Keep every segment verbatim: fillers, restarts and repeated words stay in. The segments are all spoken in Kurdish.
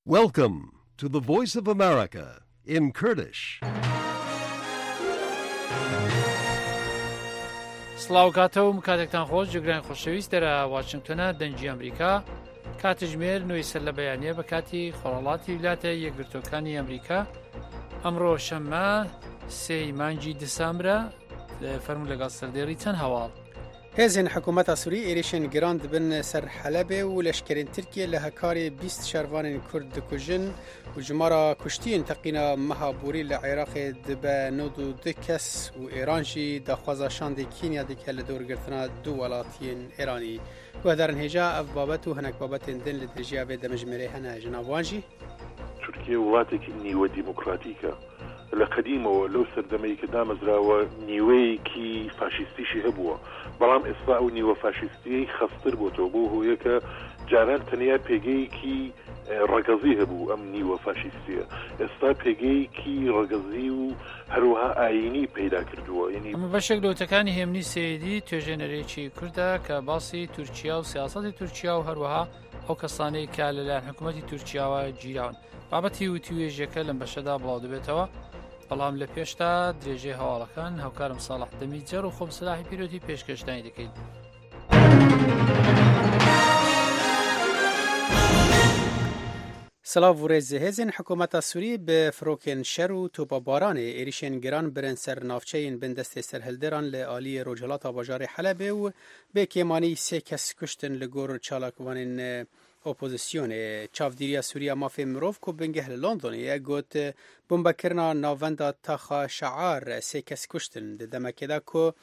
Welcome to the Voice of America in Kurdish. سڵاو کاتە و کاتێکتان خۆش، جێگرانی خۆشەویست، دەرە واشنگتنە، دەنگی ئەمریکا. کاتژمێر نوێی سەر لە بەیانە بە کاتی خۆرهەڵاتی ویلایەتە یەکگرتوەکانی ئەمریکا. ئەمڕۆ شەممە، سێی مانگی دیسامبرە. فەرموو لەگەڵ سەردێڕی چەند هەواڵ. Hêzên hikûmeta Sûrî êrîşên giran dibin ser Helebê û leşkerên Tirkiyê li Hekarê bîst şervanên Kurd dikujin û jimara kuştiyên teqîna meha borî li Iraqê dibe nod û du kes û Êran jî daxwaza şandê Kenya dike li dorgirtina du welatiyên Êranî. Guhdarên hêja, ev babet û hinek babetên din li dirêjiya vê demjimêrê hene, ji nav wan jî. تورکیە وڵاتێکی نیوە دیموکراتیکە. لە قەدیمەوە، لەو سەردەمەی کە دامەزراوە، نیوەیەکی فاشیستیشی هەبووە، بەڵام ئێستا ئەو نیوە فاشیستیەی خەستر بۆتەوە، بۆ هۆیەکە جاران تەنیا پێگەیەکی، ئە، ڕەگەزی هەبوو. ئەم نیوە فاشیستیە ئێستا پێگەیەکی ڕەگەزی و هەروەها ئاینی پەیدا کردووە. یعنی ئەمە بەشێک لە وتەکانی هێمنی سەیدی، توێژێنەرێکی کوردە کە باسی تورکیا و سیاسەتی تورکیا و هەروەها ئەو کەسانەی کە لەلایەن حکوومەتی تورکیاوە گیراون. بابەتی وتیوێژیەکە لەم بەشەدا بڵاو دەبێتەوە، بەڵام لە پێشدا درێژەی هەواڵەکان هاوکارم ساڵح دەمیجەر و خۆم سلاحی پیرۆتی پێشکەشدانی دەکەین. Silav û rêz. Hêzên hikûmeta Sûrî bi firokên şer û topa baranê êrîşên giran birin ser navçeyên bin destê serhilderan li aliyê rojhilata bajarê Helebê û bê kêmanî sê kes kuştin, li gor çalakvanên, e, opozisyonê. Çavdîriya Sûriya Mafê Mirov ku bingeh li Londonê ye, got, bombekirina navenda Taxa Şear sê kes kuştin, di demekê de ku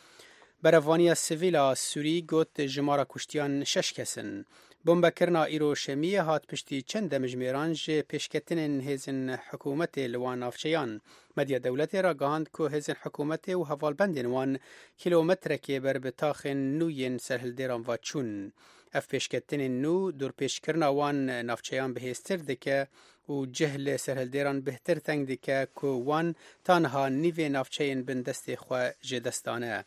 berevaniya sivîl a Sûrî got jimara kuştiyan şeş kes in. Bombekirina îro şemiyê hat piştî çend demjimêran ji pêşketinên hêzên hikûmetê li wan navçeyan. Medya dewletê ragihand ku hêzên hikûmetê û hevalbendên wan kîlometrekê ber bi taxên nû yên serhildêran ve çûn. Ev pêşketinên nû dorpêçkirina wan navçeyan bihêztir dike û cih li serhildêran bihtir teng dike ku wan ta niha nîvê navçeyên bin destê xwe ji dest dane.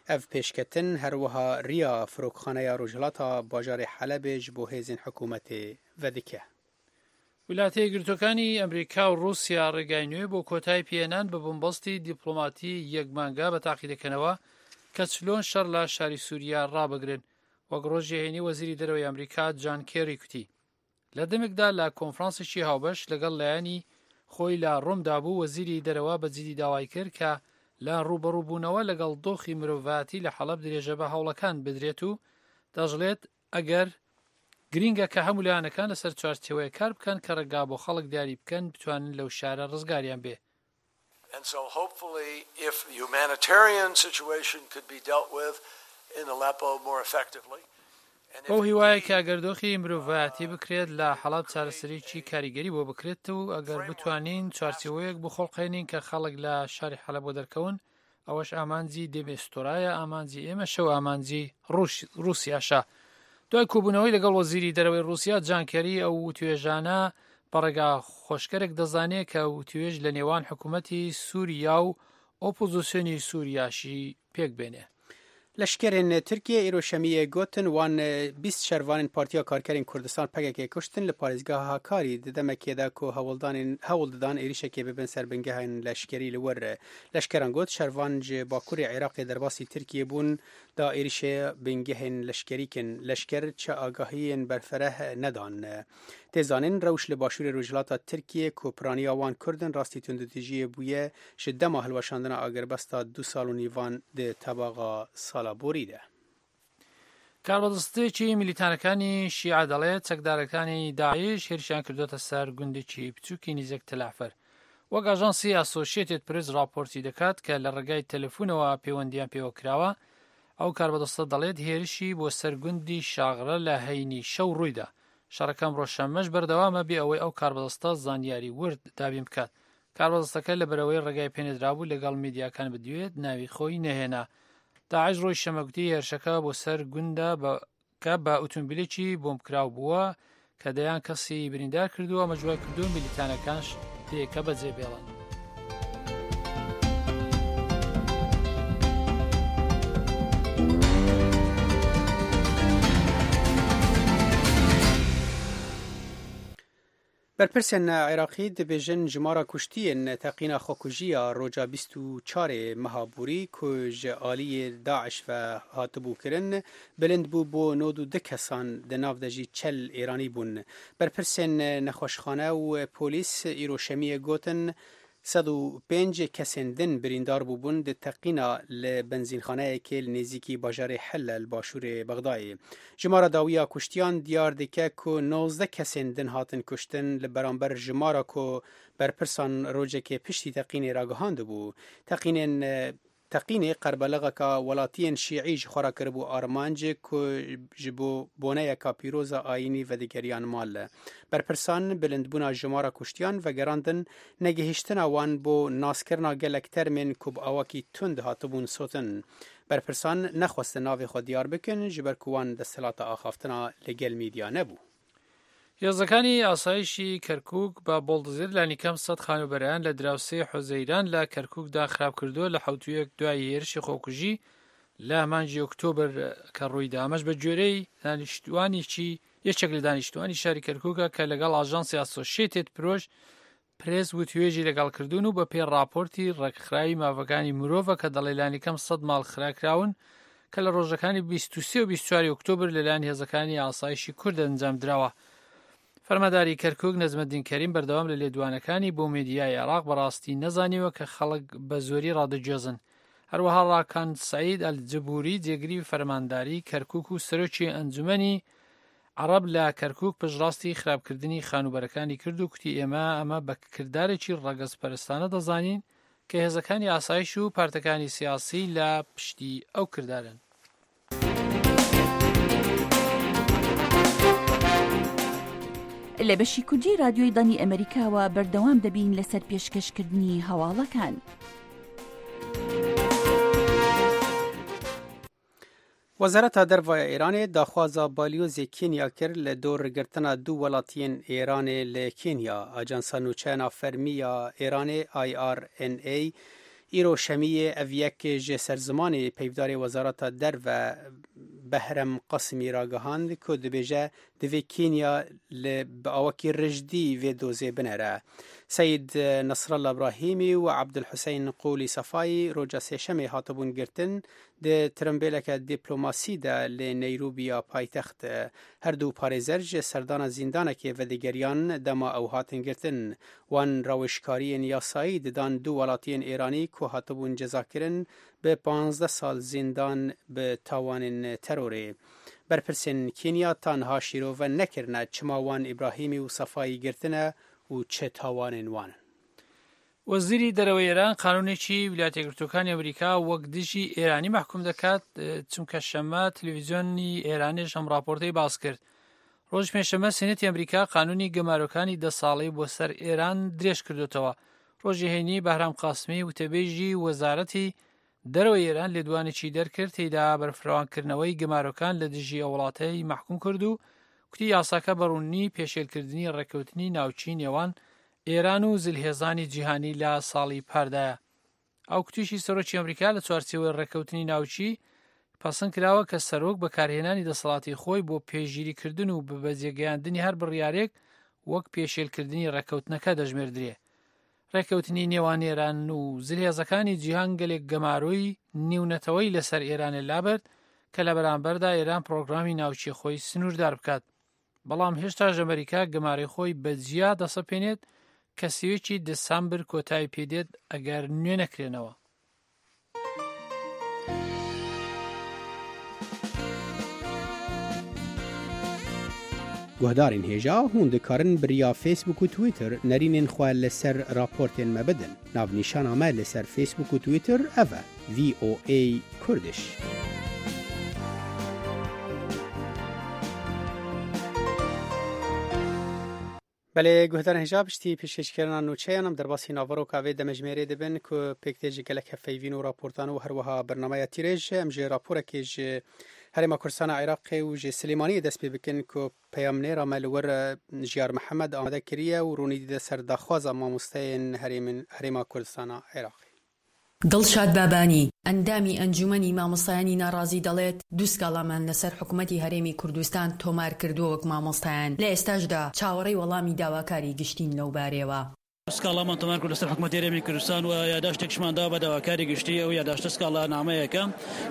Ev pêşketin her wiha riya firokxaneya rojhilata bajarê Helebê ji bo hêzên hikûmetê vedike. ویلایەتە یەکگرتووەکانی ئەمریکا و رووسیا ڕێگای نوێ بۆ کۆتایی پێهێنان بە بنبەستی دیپلۆماتی یەک مانگە بە تاقی دەکەنەوە کە چلۆن شەڕ لە شاری سووریا ڕابگرن. وەک ڕۆژی هەینی وەزیری دەرەوەی ئەمریکا جان کێری کوتی. لە دەمێکدا لە کۆنفرانسێکی هاوبەش لەگەڵ لایەنی خۆی لە ڕۆمدا بوو، وەزیری دەرەوە بە جدی داوای کرد کە لە ڕوبەڕووبوونەوە لەگەڵ دۆخی مرۆڤایەتی لە حەڵەب درێژە بە هەوڵەکان بدرێت و دەژڵێت، ئەگەر گرینگە کە هەموو لایەنەکان لەسەر چوارچێوەیە کار بکەن کە ڕێگا بۆ خەڵک دیاری بکەن بتوانن لەو شارە ڕزگاریان بێ. And so hopefully, if the humanitarian situation could be dealt with in Aleppo more effectively, and if بەو هیوایە کە ئەگەر دۆخی مرۆڤایەتی بکرێت لە حەڵەب چارەسەریی کاریگەری بۆ بکرێت و ئەگەر بتوانین چوارچێوەیەک بخۆڵقێنین کە خەڵک لە شاری حەلەب وەدەرکەون، ئەوەش ئامانجی دێمێستۆرایە، ئامانجی ئێمەشە و ئامانجی ڕووش-، رووسیاشە. دوای کۆبوونەوەی لەگەڵ وەزیری دەرەوەی رووسیا جان کێری، ئەو وتوێژانە بە ڕێگا خۆشکەرێک دەزانێ کە وتوێژ لە نێوان حکوومەتی سووریا و ئۆپۆزیسیۆنی سووریاشی پێک بێنێ. Leşkerên Tirkiyê îro şemiyê gotin wan, e, bîst şervanên Partiya Karkerên Kurdistan P K K kuştin li parêzgeha Hakarî di demekê de ku hewldanên, hewl didan êrîşekê bibin ser bingehên leşkerî li wir. Leşkeran got şervan ji Bakurê Iraqê derbasî Tirkiyê bûn da êrîşê bingehên leşkerî kin. Leşker çi agahiyên berfereh nedan. Tê zanîn, rewş li Başûrê Rojhilata Tirkiyê ku piraniya wan Kurd in, rastî tundûtîjiyê bûye ji dema hilweşandina agirbesta du sal û nîvan di tebaxa sala borî de. کاربەدەستێکی میلیتانەکانی شیعە دەڵێت چەکدارەکانی داعش هێرشیان کردوتە سەر گوندێکی بچووکی نزیک تەلعفەر. وەک ئاژانسی ئاسۆشیێتێد پرێس راپۆرتی دەکات کە لە ڕێگای تەلەفونەوە پەیوەندیان پێوە کراوە، ئەو کاربەدەستە دەڵێت هێرشی بۆ سەر گوندی شاغرە لە هەینی شەو ڕوویدا. شەڕەکە ئەمڕۆ شەممەش بەردەوامە بێ ئەوەی ئەو کاربەدەستە زانیاری ورد دابین بکات. کاربەدەستەکە لەبەرەوەی ڕێگای پێنێدرابوو لەگەڵ میدیاکان بدوێت، ناوی خۆی نەهێنا. داعش ڕۆژی شەممە گوتی هێرشەکە بۆ سەر گوندە بە، کە بە ئوتومبیلێکی بۆمبکراو بووە کە دەیان کەسی بریندار کردووە، ئەمە جوای کردووە میلیتانەکانش دەیەکە بەجێ بێڵن. Berpirsên Iraqî dibêjin jimara kuştiyên teqîna xwekujî ya roja bîst û çarê meha borî ku ji aliyê DAIŞ ve hatibû kirin, bilind bû bo nod û du kesan, di nav de jî çel Êranî bûn. Berpirsên nexweşxane û polîs îro şemiyê gotin, sed û pênc kesên din birîndar bûbûn di teqîna li benzînxaneyekê li nêzîkî bajarê Hille li başûrê Bexdayê. Jimara dawî ya kuştiyan diyar dike ku nozdeh kesên din hatin kuştin, li beramber jimara ku berpirsan rojekê piştî teqînê ragihandibû. Teqînên, e, teqînê qerbelixeka welatiyên şîî ji xwe re kiribû armanc ku ji bo boneyeka pîroz a ayînî vedigeriyan mal. Berpirsan bilindbûna jimara kuştiyan vegerandin, negihîştina wan bo naskirina gelek termên ku bi awakî tund hatibûn sotin. Berpirsan nexwestin navê xwe diyar bikin, ji ber ku wan desthilata axaftina li gel mîdya nebû. Hêzekانی ئاسایشی کەرکووک بە بۆڵدزێر لانی کەم سەد خانووبەرەیان لە دراوسێ حوزەیران لە کەرکووکدا خراپ کردووە لە حەوت و یەک دوای هێرشی خۆکوژی لە مانگی ئۆکتۆبر کە ڕوویدا. ئەمەش بە گوێرەی دانیشتوانێکی، یەکێک لە دانیشتوانی شاری کەرکووکە کە لەگەڵ ئاژانسی ئاسۆشیتێد پرۆش پرێس وتوێژی لەگەڵ کردوون و بە پێی راپۆرتی ڕێکخراوی مافەکانی مرۆڤە کە دەڵێ لانی کەم سەد ماڵ خراکراون کە لە ڕۆژەکانی بیست و سێ و بیست و چواری ئۆکتۆبر لەلایەن هێزەکانی ئاسایشی کورد ئەنجام دراوە. فەرمانداری کەرکووک نەجمەدین کەریم بەردەوام لە لێدوانەکانی بۆ میدیای عێراق بەڕاستی نەزانیوە کە خەڵک بە زۆری ڕادەگوێزن. هەروەها ڕاکان سەعید ئەلجبوری جێگری فەرمانداری کەرکووک و سەرۆکی ئەنجومەنی عەرەب لە کەرکووک پشتڕاستی خراپکردنی خانووبەرەکانی کرد و کوتی ئێمە ئەمە بە کردارێکی ڕەگەزپەرستانە دەزانین کە هێزەکانی ئاسایش و پارتەکانی سیاسی لە پشتی ئەو کردارن. لە بەشی کوردی رادیۆی دانی ئەمریکاوە بەردەوام دەبین لەسەر پێشکەشکردنی هەواڵەکان. Wezareta Derve ya Îranê daxwaza balyozê Kenya kir li dor girtina du welatiyên Îranê li Kenya. Ajansa Nûçeyana Fermî ya Îranê, I R N A, îro şemiyê ev yek ji serzimanê peyvdarê Wezareta Derve Behrem Qasimî ragihand ku dibêje, divê Kenya li bi awakî rijdî vê dozê binere. Seyîd Nasrallah Brahîmî û Abdulhuseyn Qûlî Sefayî roja sêşemê hatibûn girtin, di tirimbêleke dîplomasî de li Neyrobiya paytext. Her du parêzer ji serdana zîndanekê vedigeriyan dema ew hatin girtin. Wan rawêjkariyên yasayî didan du welatiyên Êranî ku hatibûn cezakirin bi panzdeh sal zîndan bi tawanên terorê. Berpirsên Kenya ta niha şîrove nekirine çima wan Îbrahîmî û Sefayî girtine û çi tawanên wan in. وەزیری دەرەوەی ئێران قانونێکی ویلایەتە یەکگرتووەکانی ئەمریکا وەک دژی ئێرانی مەحکوم دەکات، چونکە شەممە تەلەڤیزیۆنی ئێرانیش ئەم راپۆرتەی باس کرد. ڕۆژی پێنجشەممە سینەتی ئەمریکا قانونی گەمارۆکانی دە ساڵەی بۆ سەر ئێران درێژ کردوتەوە. ڕۆژی هەینی بەهرام قاسمی وتەبێژی وەزارەتی دەرەوەی ئێران لێدوانێکی دەرکرد، تێیدا بەرفراوانکردنەوەی گەمارۆکان لە دژی ئەو وڵاتەی مەحکوم کرد و کوتی یاساکە بەڕوونی پێشێلکردنی ڕێککەوتنی ناوچی نێوان ئێران و زلهێزانی جیهانی لە ساڵی پاردایە. ئەو کوتیشی سەرۆکی ئەمریکا لە چوارچێوەی ڕێککەوتنی ناوچی پەسەند کراوە کە سەرۆک بەکارهێنانی دەسەڵاتی خۆی بۆ پێشگیریکردن و بەبەجێگەیاندنی هەر بڕیارێک وەک پێشێلکردنی ڕێککەوتنەکە دەژمێردرێ. ڕێککەوتنی نێوان ئێران و زلهێزەکانی جیهان گەلێک گەمارۆی نێونەتەوەی لەسەر ئێرانە لابرد کە لە بەرامبەردا ئێران پرۆگرامی ناوچەی خۆی سنووردار بکات. بەڵام هێشتاش ئەمریکا گەمارۆی خۆی بە جیا دەسەپێنێت کە سێیەکی دەسامبر کۆتایی پێدێت ئەگەر نوێ نەکرێنەوە. Guhdarên hêja hûn dikarin bi riya Facebook û Twitter nerînên xwe li ser raportên me bidin. Navnîşana me li ser Facebook û Twitter ev e: V O A Kurdish. Belê, guhdarên hêja, piştî pêşkêşkirina nûçeyan em derbasî naveroka vê demejmêrê dibin ku pêk tê ji gelek hevpeyvîn û raportan û her wiha bernameya tîrêj. Em ji raporekê ji Herêma Kurdistana Iraqê û ji Silêmaniyê dest pê bikin ku peyamnêra me li wir Jiyar Mihemed amade kiriye û rûnî dide ser daxwaza mamosteyên herêmin, Herêma Kurdistana Iraqê. دڵشاد بابانی، ئەندامی ئەنجومەنی مامۆستایانی ناڕازی دەڵێت، دوو سکاڵامان لەسەر حکوومەتی هەرێمی کوردستان تۆمار کردووە وەک مامۆستایان. لە ئێستاشدا چاوەڕێی وەڵامی داواکاری گشتین لەو بارەیەوە. سکاڵامان تۆمار کرد لەسەر حکوومەتی هەرێمی کوردستان و یاداشتێکشمان دا بە داواکاری گشتی. ئەو یاداشتە سکاڵا نامەیەکە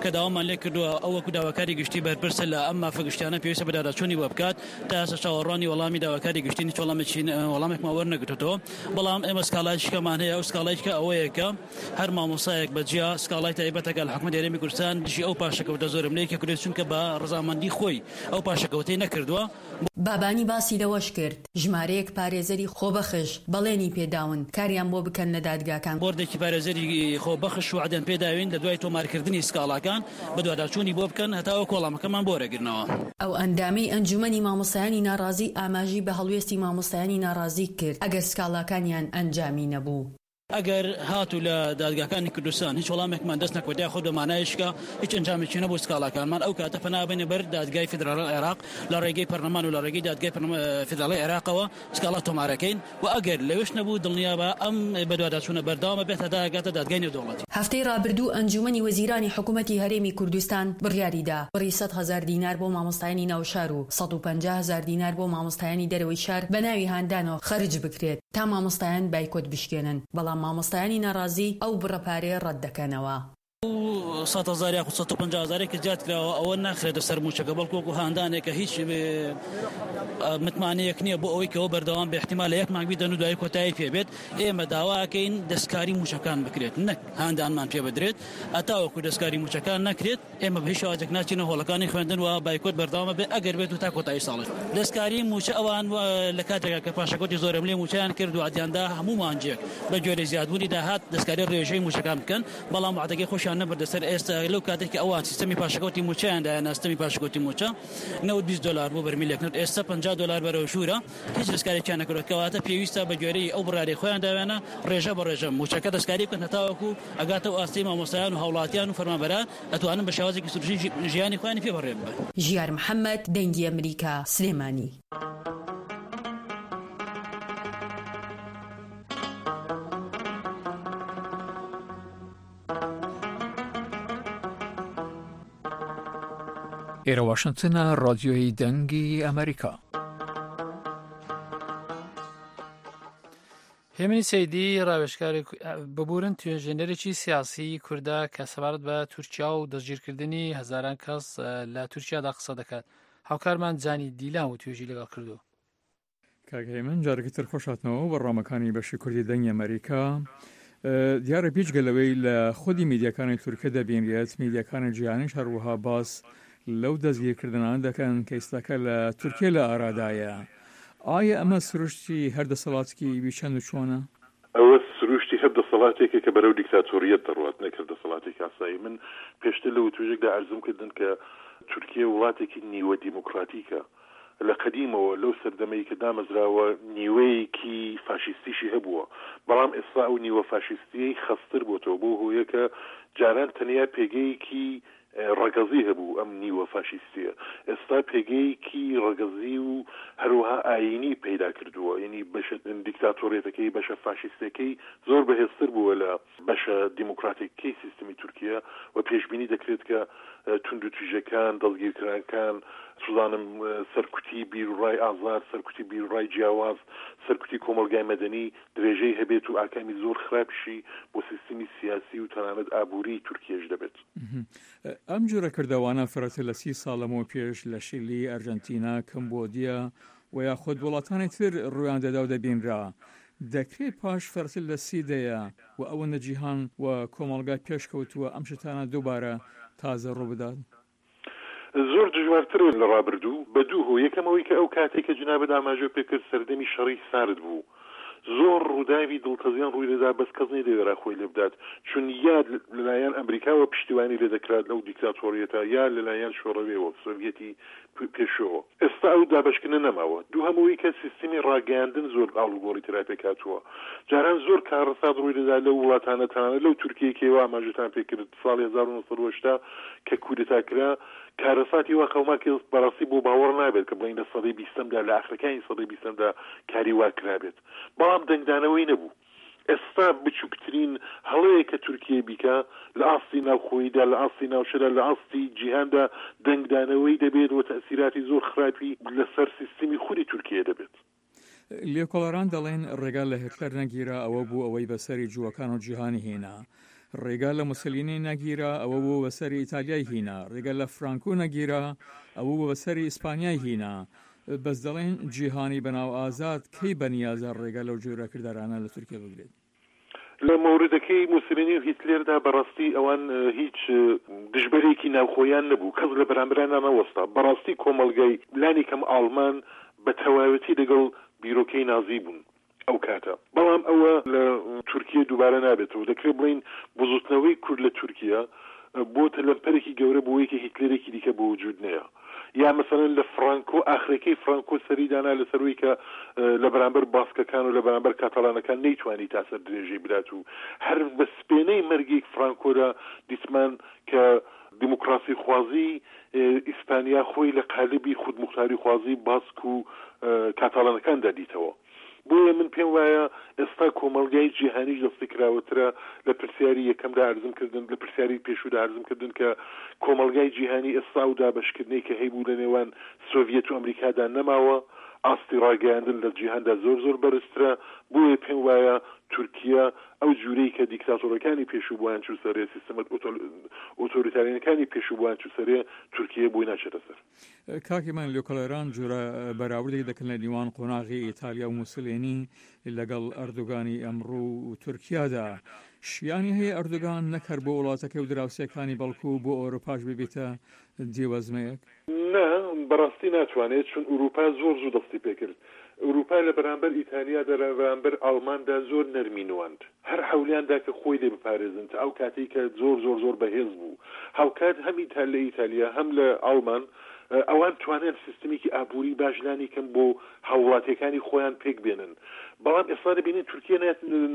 کە داوامان لێ کردووە، ئەو وەکو داواکاری گشتی بەرپرسە لە ئەم مافە گشتیانە پێویستە بەداداچوونی بۆ بکات. تا ئێستا چاوەڕوانی وەڵامی داواکاری گشتین، هیچ وەڵامێکی، وەڵامێکمان وەرنەگرتووە. بەڵام ئێمە سکاڵایەکیشکەمان هەیە، ئەو سکاڵایەکە ئەوەیە کە هەر مامۆستایەک بە جیا سکاڵای تایبەتەکە لە حکومەتی هەرێمی کوردستان دژی ئەو پاشەکەوتە زۆرەملەیەکی کردووە، چونکە بە ڕەزامەندی خۆی ئەو پاشەکەوتەی نەکردووە. بابانی باسی لەوەش کرد، ژمارەیەک پارێزەری خۆبەخش بەڵێنی پێداون کاریان بۆ بکەن لە دادگاکان. بۆردێکی پارێزەری خۆبەخش وعدەن پێداوین لە دوای تۆمارکردنی سکاڵاکان بە دواداچوونی بۆ بکەن، هەتا وەک وەڵامەکەمان بۆ وەرەگرنەوە. ئەو ئەندامەی ئەنجومەنی مامۆستایانی ناڕازی ئاماژی بە هەڵوێستی مامۆستایانی ناڕازی کرد، ئەگەر سکاڵاکانیان ئەنجامی نەبوو. ئەگەر هاتوو لە دادگاکانی کوردستان هیچ وەڵامێکمان دەست نەکەوت، یاخود بە مانایشکە هیچ ئەنجامێکی نەبوو سکاڵاکانمان، ئەو کاتە پەنا بێنە بەر دادگای فیدراڵی عێراق، لە ڕێگەی پەرلەمان و لە ڕێگەی دادگای پەرلەما-، فیدراڵی عێراقەوە سکاڵا تۆمارەکەین. و ئەگەر لەوێش نەبوو، دڵنیا بە ئەم بەدواداچوونە بەردەوامە بێت هەتا ئەگاتە دادگای نێودەوڵەتی. هەفتەی ڕابردوو ئەنجومەنی وەزیرانی حکوومەتی هەرێمی کوردستان بڕیاری دا بڕی سەد هەزار دینار بۆ مامۆستایانی ناوشار و سەد و پەنجا هەزار دینار بۆ مامۆستایانی دەرەوەی شار بە ناوی هاندانەوە خەرج بکرێت، تا مامۆستایان بایکۆت بشکێنن، بەڵام مامۆستایانی ناڕازی ئەو بڕە پارەیە ڕەت دەکەنەوە. ئەو سەد هەزار یاخود سەد و پەنجا هەزارێک کە زیاد کراوە، ئەوە ناخرێتە سەر مووچەکە، بەڵکو وەکو هاندانێکە هیچ، ئێ، متمانەیەک نییە بۆ ئەوەی کە ئەوە بەردەوام بێ، احتیمالە یەک مانگ بیدەن و دوایی کۆتایی پێ بێت. ئێمە داواکەین دەستکاری مووچەکان بکرێت، نەک هاندانمان پێ بدرێت. هەتا وەکو دەستکاری مووچەکان نەکرێت، ئێمە بە هیچ شێوازێک ناچینە هۆڵەکانی خوێندن و بایکۆت بەردەوامە بێ، ئەگەر بێت و تا کۆتایی ساڵی. دەستکاری مووچە ئەوان و لە کاتێکا کە پاشەکەوتی زۆرەملێ مووچەیان کرد و عەدیاندا هەموو مانجێک بە گوێرەی زیادبوونی داهات دەستکاری ڕێژەی مووچەکان بکەن، بەڵام وعدەکەی خۆشیان نەبردە سەر. ئێستا لەو کاتێک کە ئەوان سیستەمی پاشەکەوتی مووچەیان دایە، سیستەمی پاشەکەوتی مووچە نەوەد بیست دۆلار بۆ بەرمیلێک نەوت، ئێستا پەنجا دۆلار بەرەو ژوورە، هیچ دەستکارێکیان نەکردووە. کەواتە پێویستە بە گوێرەی ئەو بڕارەی خۆیان داوێنە ڕێژە بە ڕێژە مووچەکە دەستکاری بکەن، هەتا وەکو ئەگاتە ئەو ئاستەی مامۆستایان و هەوڵاتیان و فەرمانبەران ئەتوانن بە شێوازێکی سروشتی ژی-، ژیانی خۆیانی پێ بەڕێوە ببەن. ژیار محەممەد، دەنگی ئەمریکا، سلێمانی. ئێرە واشنگتنە، ڕادیۆی دەنگی ئەمریکا. هێمنی سەیدی، ڕاوێژکاری کو-، ببوورن توێژینەرێکی سیاسی کوردە کە سەبارەت بە تورکیا و دەستگیرکردنی هەزاران کەس، ئە، لە تورکیادا قسە دەکات. هاوکارمان جانی دیلان و توێژی لەگەڵ کردو. کاک هێمن، جارێکی تر خۆش هاتنەوە بەڕامەکانی بەشی کوردی دەنگی ئەمریکا. ئە، دیارە پیچگە لەوەی لە خودی میدیاکانی تورکیا دەبینرێت، میدیاکانی جیهانیش هەروەها باس لەو دەستگیرکردنانە دەکەن کە ئێستاکە لە تورکیا لە ئارادایە. ئایا ئەمە سروشتی هەر دەسەڵاتێکی ویچەند و چۆنە؟ ئەوە سروشتی هەر دەسەڵاتێکە کە بەرەو دیکتاتۆریەت دەڕوات، نەک هەر دەسەڵاتێکی ئاسایی. من پێشتر لە وتوژێکدا ئەرزم کردن کە تورکیا وڵاتێکی نیوە دیموکراتیکە. لە قەدیمەوە لەو سەردەمەی کە دامەزراوە نیوەیەکی فاشیستیشی هەبووە، بەڵام ئێستا ئەو نیوە فاشیستیەی خەستر بۆتەوە، بۆ هۆیەکە جاران تەنیا پێگەیەکی ڕەگەزی هەبوو ئەم نیوە فاشیستیە. ئێستا پێگەیەکی ڕەگەزی و هەروەها ئاینی پەیدا کردووە. یعنی بەشە دیکتاتۆریەتەکەی، بەشە فاشیستەکەی زۆر بەهێزتر بووە لە بەشە دیموکراتیکەی سیستمی تورکیا و پێشبینی دەکرێت کە، ئە، توند و تیژەکان، دەستگیرکرانکان، سوزانم، ئە، سەرکوتی بیرڕای ئازاد، سەرکوتی بیرڕای جیاواز، سەرکوتی کۆمەلگای مەدەنی درێژەی هەبێت و ئاکامی زۆر خراپشی بۆ سیستمی سیاسی و تەنانەت ئابووری تورکیەش دەبێت. مهم. ئەم جۆرە کردەوانە فرەتر لە سی ساڵ لەمەوە پێش لە شیلی، ئەرژەنتینا، کەمبۆدیا و یاخود وڵاتانی تر ڕوویان دەدا و دەبینرا. دەکرێت پاش فرەتر لە سی دەیە و ئەوەندە جیهان و کۆمەڵگا پێشکەوتووە ئەم شتانە دووبارە تازە ڕوو بدات؟ زۆر دژوارترە لە ڕابردوو، بە دوو هۆ. یەکەمەوەی کە ئەو کاتێک کە جنابەت ئاماژە پێکرد سەردەمی شەڕی سارد بوو، زۆر ڕووداوی دڵتەزێن ڕووی دەدا، بەس کەس نەیدەوێرا خۆی لێ بدات، چون یا لەلایەن ئەمریکاوە پشتیوانی لێ دەکرات لەو دیکتاتۆریەتە، یا لەلایەن شۆڕەوێەوە، سۆڤیەتی پ-، پێشەوە. ئێستا ئەو دابەشکردنە نەماوە. دووهەمەوەی کە سیستمی ڕاگەیاندن زۆر ئاڵوگۆڕی ترا پێک هاتووە. جاران زۆر کارەسات ڕووی دەدا لەو وڵاتانە، تەنانەت لەو تورکیەی کە ئێوە ئاماژەتان پێ کرد ساڵی هەزار و نۆ سەد و هەشتا کە کودەتا کرا، کارەساتی وا قەوما کە بەڕاستی بۆ باوەڕ نابێت کە بڵێن لە سەدەی بیستەمدا، لە ئاخرەکانی سەدەی بیستەمدا کاری وا کرابێت. بەڵام دەنگدانەوەی نەبوو. ئێستا بچووکترین هەڵەیە کە تورکیە بیکا لە ئاستی ناوخۆییدا، لە ئاستی ناوچەدا، لە ئاستی جیهاندا دەنگدانەوەی دەبێت و تەسیراتی زۆر خراپی لەسەر سیستمی خودی تورکیە دەبێت. لێکۆڵەران دەڵێن ڕێگا لە هتلەر نەگیرا، ئەوە بوو ئەوەی بەسەری جووەکان و جیهانی هێنا. ڕێگا لە موسلینی نەگیرا، ئەوە بوو بەسەری ئیتالیای هێنا. ڕێگا لە فرانکۆ نەگیرا، ئەوە بوو بەسەری ئیسپانیای هێنا. بەس دەڵێن جیهانی بەناو ئازاد کەی بەنیازە ڕێگا لەو جۆرە کردارانە لە تورکیا بگرێت؟ لە مەوردەکەی موسلینی و هیتلێردا بەڕاستی ئەوان هیچ دژبەرێکی ناوخۆیان نەبوو، کەس لە بەرامبەرانە نەوەستا. بەڕاستی کۆمەلگای لانی کەم ئاڵمان بە تەواوەتی لەگەڵ بیرۆکەی نازی بوون ئەو کاتە. بەڵام ئەوە لە تورکیە دووبارە نابێتەوە. دەکرێت بڵین بزوتنەوەی کورد لە تورکیە بۆتە لەمپەرێکی گەورە بۆیەکە هیتلەرێکی دیکە بۆ وجود نەیە. یا مەسەلەن لە فرانکۆ، ئاخرەکەی فرانکۆ سەری دانا لەسەر وەی کە لە بەرامبەر باسکەکان و لە بەرامبەر کاتاڵانەکان نەیتوانی تا سەر درێژەی بدات و هەر بە سپێنەی مەرگێک فرانکۆدا دیسمان کە دیموکراسی خوازی ئیسپانیا خۆی لە قالبی خودمختاری خوازی باسک و کاتاڵانەکاندا دیتەوە. بۆیە من پێم وایە ئێستا کۆمەلگای جیهانیش دەستی کراوەترە. لە پرسیاری یەکەمدا ئەرزم کردن، لە پرسیاری پێشوودا ئەرزم کردن کە کۆمەلگای جیهانی ئێستا و دابشکردنی کە هەیبوو لە نێوان سۆڤیەت و ئەمریکادا نەماوە. ئاستی ڕاگەیاندن لە جیهاندا زۆر زۆر بەرزترە. بۆیە پێم وایە تورکیا ئەو جوورەی کە دیکتاتۆرەکانی پێشوو بۆیان چوو سەرێ، سیستمە ئۆتۆریتاریەکانی پێشوو بۆیان چوو سەرێ، تورکیە بۆی ناچێتە سەر. کاکی من لێکۆڵەران جۆرە بەراوردێک دەکەن لە نیوان قۆناغی ئیتالیا و موسلێنی لەگەڵ ئەردوگانی ئەمڕوو و تورکیادا. شیانی هەیە ئەردوگان نەکەر بۆ وڵاتەکە و دراوسێکانی بەڵکو بۆ ئەوروپاش ببێتە دیوەزمەیەک؟ نە، بەڕاستی ناتوانێت، چون ئەوروپا زۆر زوو دەستی پێکرد. ئەوروپا لە بەرامبەر ئیتالیا، لە بەرامبەر ئاڵماندا زۆر نەرمی نواند. هەر حەولیاندا کە خۆی لێ بپارێزن تا ئەو کاتەی کە زۆر زۆر زۆر بەهێز بوو. هاوکات هەم ئیتال لە ئیتالیا هەم لە ئاڵمان ئەوان توانیان سیستمێکی ئابووری باش لانی کەم بۆ هاوڵاتیەکانی خۆیان پێک بێنن. بەڵام ئێستا دەبینین تورکیە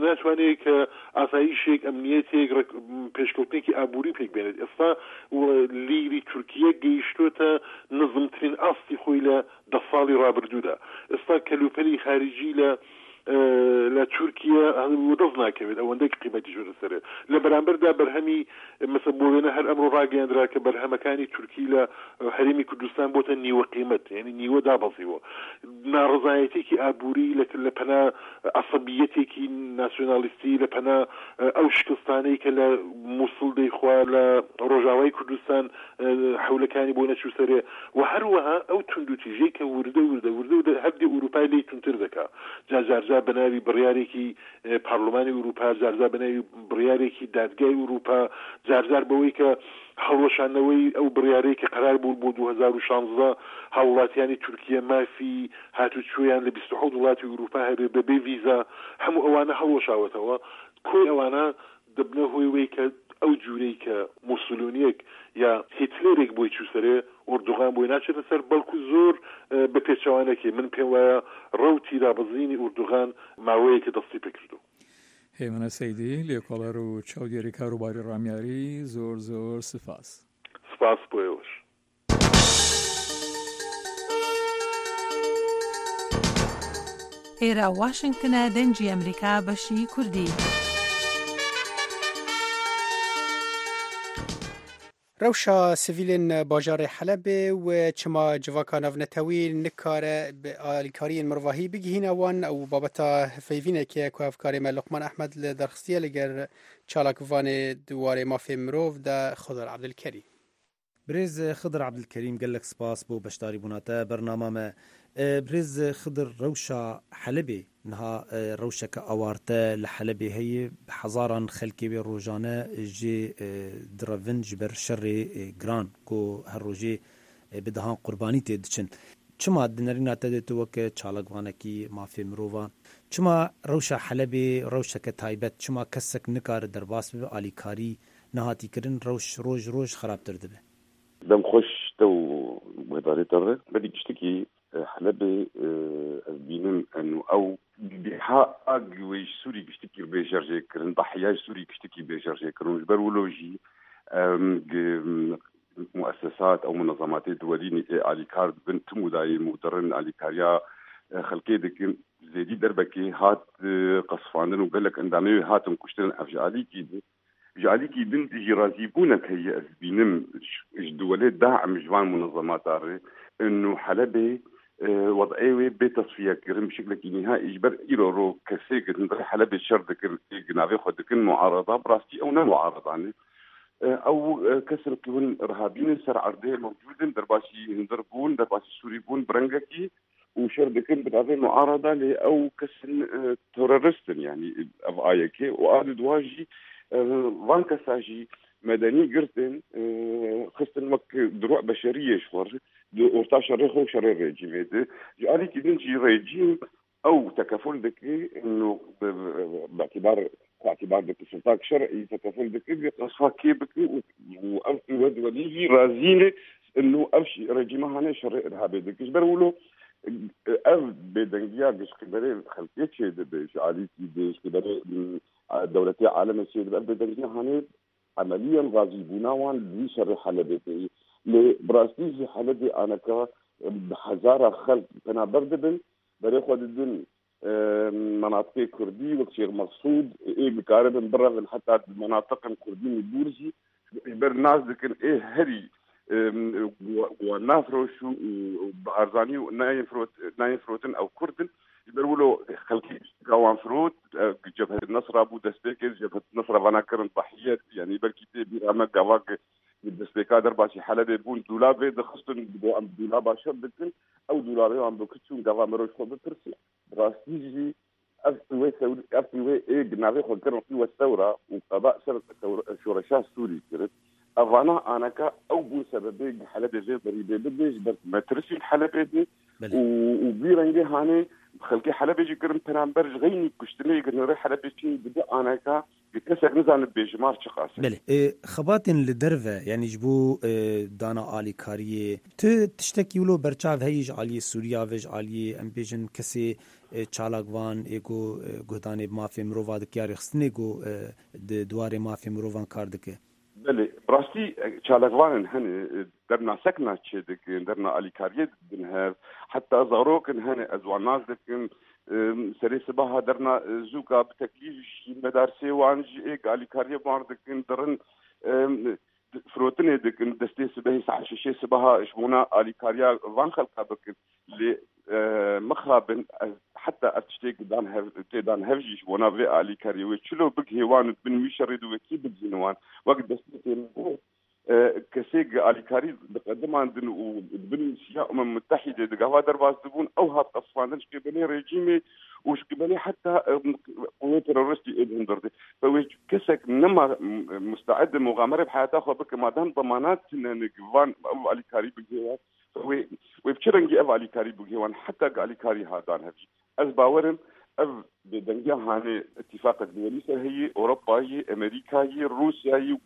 ناتوانێت کە ئاسایشێک، ئەمنیەتێک، پێشکەوتنێکی ئابووری پێک بێنێت. ئێستا لیری تورکیە گەیشتۆتە نزمترین ئاستی خۆی لە دە ساڵی ڕابردوودا. ئێستا کەلوپەلی خارجی لە لە تورکیا دەست ناکەوێت، ئەوەندەی قیمەتی ژۆرە سەرێ. لە بەرامبەردا بەرهەمی، مەسە بۆ وێنە هەر ئەمڕۆ ڕاگەیاندرا کە بەرهەمەکانی تورکی لە هەرێمی کوردستان بۆتە نیوە قیمەت، یعنی نیوە دابەزیوە. ناڕزایەتێکی ئابووری لە لە پەنا عەسەبیەتێکی ناسیۆنالیستی، لە پەنا ئەو شکستانەی کە لە موسڵ دەیخوا، لە ڕۆژاوای کوردستان حولەکانی بۆ نەچوو سەرێ. و هەروەها ئەو توندوتیژەی کە وردە وردە وردە وردە هەردی ئەوروپای لی تونتر دەکا. جا جارجار بە ناوی بڕیارێکی پارلمانی ئەوروپا، جارجار بە ناوی بڕیارێکی دادگای ئەوروپا، جارجار بەوەی کە هەڵوەشانەوەی ئەو بڕیارەی کە قەرار بوو بۆ دوو هەزار و شانزدە هاوڵاتیانی تورکیە مافی هاتوچۆیان لە بیست و حەوت وڵاتی ئەوروپا هەبێ بەبێ ڤیزا، هەموو ئەوانە هەڵوەشاوەتەوە. کۆی ئەوانە دەبنە هۆی وەی کە ئەو جوورەی کە موسولونیەک یا هیتلێرێک بۆی چووسەرێ، ئوردوغان بۆی ناچێتە سەر، بەڵکو زۆر بە پێچەوانەکێ. من پێم وایە ڕەوتی دابەزینی ئوردوغان ماوەیەکە دەستی پێکردو. هێمنە سەیدی، لێکۆڵەر و چاودێری کاروباری ڕامیاری، زۆر زۆر سپاس. سپاس بۆ ئێوەش. ئێرە واشنگتنە، دەنگی ئەمریکا، بەشی کوردی. Rewşa sivîlên bajarê Helebê û çima civaka navnetewî nikare bi alîkariyên mirovahî bigihîne wan, ew babeta hevpeyvîneke ku hevkarê me Luqman Ehmed li derxistiye li gel çalakvanê di warê mafê mirov de Xidr Ebdilkerîm. Birêz Xidr Ebdilkerîm, gelek spas bo beşdarîbûna te bernama me. E, Birêz Xidr, rewşa Helebê niha, e, rewşeke awarte li Helebê heye. Bi hezaran xelkê wê rojane jê, e, direvin ji ber şerê, e, giran ku her rojê, e, bi dehan qurbanî tê diçin. Çima di nerîna te de tu weke çalakvanekî mafê mirovan, çima rewşa Helebê rewşeke taybet, çima kesek nikare derbas bibe, alîkarî nehatî kirin, rewş roj roj xerabtir dibe? Dem xweş te û guhdarê te re. Berî giştikî, e, Helebê, e, ez bînim eno ew biha ag wê ji Sûrî giştikî bê jerjê kirin, behiya ji Sûrî giştikî bê jerjê kirin. Ji ber wilo jî, em, gi-, muessesat ew munezematê duwelî nê ê alîkar dibin, tim û dayê mudirin alîkariya, e, xelkê dikin. zêdî derbekê hat, e, qesfandin û gelek endamê wê hatin kuştin. Ev ji alîkî din, ji alîkî din jî razîbûnek heye, ez dibînim ji, ji duwelê daim ji van munezemata re, inu Helebê, e, wed'ê wê bê tesfiye kirin bi şeklekî nihayî. Ji ber îro ro kesê ki hundirê Helebê şer dikin, ê ki navê xwe dikin muarada, bi rastî ew ne muarada ne. E, ew, e, kesin ki hûn irhabî ne, ser erdê mewcûd in, derbasî hundir bûn, derbasî Sûrî bûn, bi rengekî û şer dikin bi navê muarada, lê ew kesin, e, terorist in, yanî ev A Y K û a di dua jî, e, van kesa jî medenî girtin, e, xistin wek diruh beşeriyê ji xwe re, di orta şerê xwe û şerê rejîmê de. Ji alîkî din jî rejîm ew tekeful dike, ino bi, bi, bi, bi îtibar, bi îtibar dike sultak şer'î tekeful dike, bi qesfa kê bike û, û ev qîwet welî jî razî ne, ino ev şi-, rejîma hane şerê irhabê dike. Ji ber wilo, ev bêdengiya ji qîberê xelkê çêdibe, ji alîkî de, ji qîberê, m, dewletê alemê çêdibe, ev bêdengiya hane emeliyen razîbûna wan li vî şerê Helebê tê. Lê bi rastî jî Helebê aneka bi hezara xelk penaber dibin, berê xwe didin, e, menatiqê kurdî wek Şêx Meqsûd, ê dikaribin birevin heta di menatiqên kurdî û dûr jî, ji ber nas dikin ê herî, e, wan nafiroş û, û bi arzanî û nayên firot-, nayên firotin ew kurd in. Ji ber wilo xelkê ka wan firot, e, Cebhet Nesra bû destpêkê, Cebhet Nesra vana kirin tahiyet, yanî belkî tê bîra me gava ki destpêka derbasî Helebê bûn, dûlavê dixistin, digo em dûlaba şer dikin, ew dûlavê wan bikiçûn, gava mirov ji xwe bipirsin. Bi rastî jî ev qîwê sewr-, ev qîwê ê bi navê xwe kirin qîwet sewra û qeba ser sewr-, şoreşa Sûrî kirin. Evana aneka ew bûn sebebê Helebê vê berî bê bidê, ji ber metirsî Helebê dê. Belê. Û, û vî rengê hanê xelkê Helebê jî kirin peramber ji xeynî kuştinê, girnirê Helebê çê dibe aneka, kesek nizane bêjimar çiqas e. Belê. E, xebatên li derve, yanî ji bo, e, dana alîkariyê, tu tiştekî wilo berçav heyî ji aliyê Sûriya ve, ji aliyê, em bêjin, kesê, e, çalakvan, ê ku, e, guhdanê bi mafê mirova dike ya rêxistinê ku, e, di duwarê mafê mirovan kar dike? Belê, bi rastî, e, çalakvanên hene, e, derna sekna çêdikin, derna alîkariyê didin hev, heta zarokin hene, ez wan nas dikim, e, serê sibaha derna, e, zûka bi teklîf ji medarsê wan, ji ê alîkariyê wan dikin, dirin, e, firotinê dikin, destê sibehê saet şeşê sibaha ji bona alîkariya van xelka bikin. Lê, e, mixabin, ez heta ev tiştê ki dan hev, tê dan hev jî ji bona vê alîkariyê wê çilo bigihê wan û di bin wî şerê di wekî bigihîne wan. Wek destpêkê min got, e, kesê ki alîkarî diqedimandin û di bin siya Umem Mutehîdê di gava derbas dibûn, ew hat qesfandin ji qêbelê rejîmê û ji qêbelê heta, e, qûwê teroristî ê di hundir de. Fe wê kesek nema, m-, musteed e muxamere bi heyata xwe bike, madem demanat tune ne ki van ew alîkarî bigihê wan. Wê, wê bi çi rengî ev alîkarî bigihê wan, heta ki alîkarî hadan hev jî. Ez bawer im, ev bêdengiya hanê îtîfaqek duwelî ser heyî, Ewropa yî, Amerîka yî, Rûsya yî û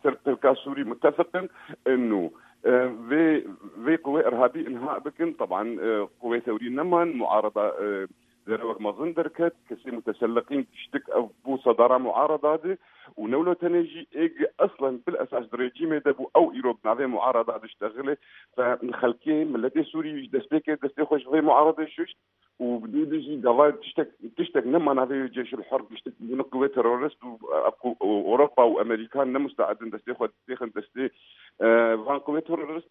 ser pelka Sûrî mutefiq in, inu, e, vê, vê qûwê irhabî inha bikin. Teban, e, qûwê tewrî neman, muarada, e, zerewek mezin derket, kesê muteselliqîn tiştik ev bû sedara muarada de û newlo tenê jî ê gi eslen bil esas di rejîmê de bû, ew îro bi navê muarada diştexile. Fe xelkê, miletê Sûrî ji destpêkê destê xwe ji vê muaradê şuşt û bi dû de jî gava tiştek, tiştek nema navê wê Ceyşul Hor, tiştek bûne qûwê terorist û, e, ku-, û Ewropa û Amerîka ne musteed in destê xwe têxin destê, e, van qûwê terorist,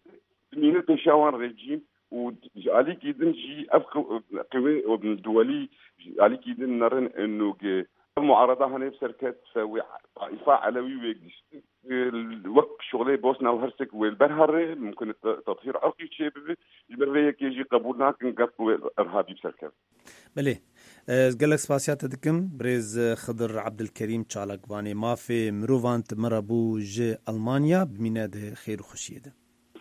dimîne pêşiya wan rejîm û ji alîkî din jî ev qi-, qîwê duwelî ji alîkî din nerin û gi ev muarada hene bi ser ket, fe wê Taîfa Elewî wê gişt, e, wek şixulê Bosna û Hersek wê li ber here, mumkin e te-, tethîr irqî çê bibe. Ji ber vê yekê jî qebûl nakin gel qûwê irhabî bi ser ket. Belê. Ez gelek spasiya te dikim. Birêz Xidir Ebdilkerîm, çalakvanê mafê mirovan, tu me re bû ji Elmanya. Bimîne di xêr û xweşiyê de.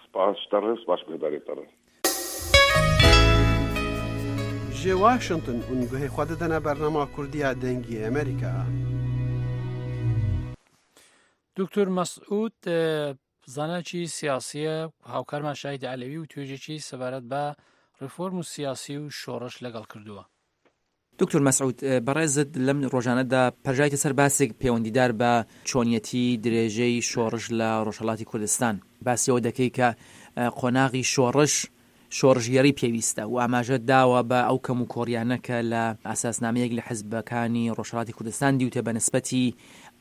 Spas ji te re, spas guhdarê te re. Ji Washington hûn guhê xwe didine bernama Kurdiya Dengê Amerîka. Doktor Mesûd, e, zanekî siyasî ye, hawkarma Şahîd Elewî û toêjekî sebaret be reform û siyasî û şoreş legal kirduwe. دکتۆر مەسعود، بەڕێزت لەم ڕۆژانەدا پەرژایتە سەر باسێک پەیوەندیدار بە چۆنیەتی درێژەی شۆڕش لە ڕۆژهەڵاتی کوردستان. باسی ئەوە دەکەی کە قۆناغی شۆڕش شۆڕشگێڕی پێویستە و ئاماژە داوە بە ئەو کەم و کۆڕیانە کە لە ئاساسنامەیەک لە حزبەکانی ڕۆژهەڵاتی کوردستان دیوتە بە نسبەتی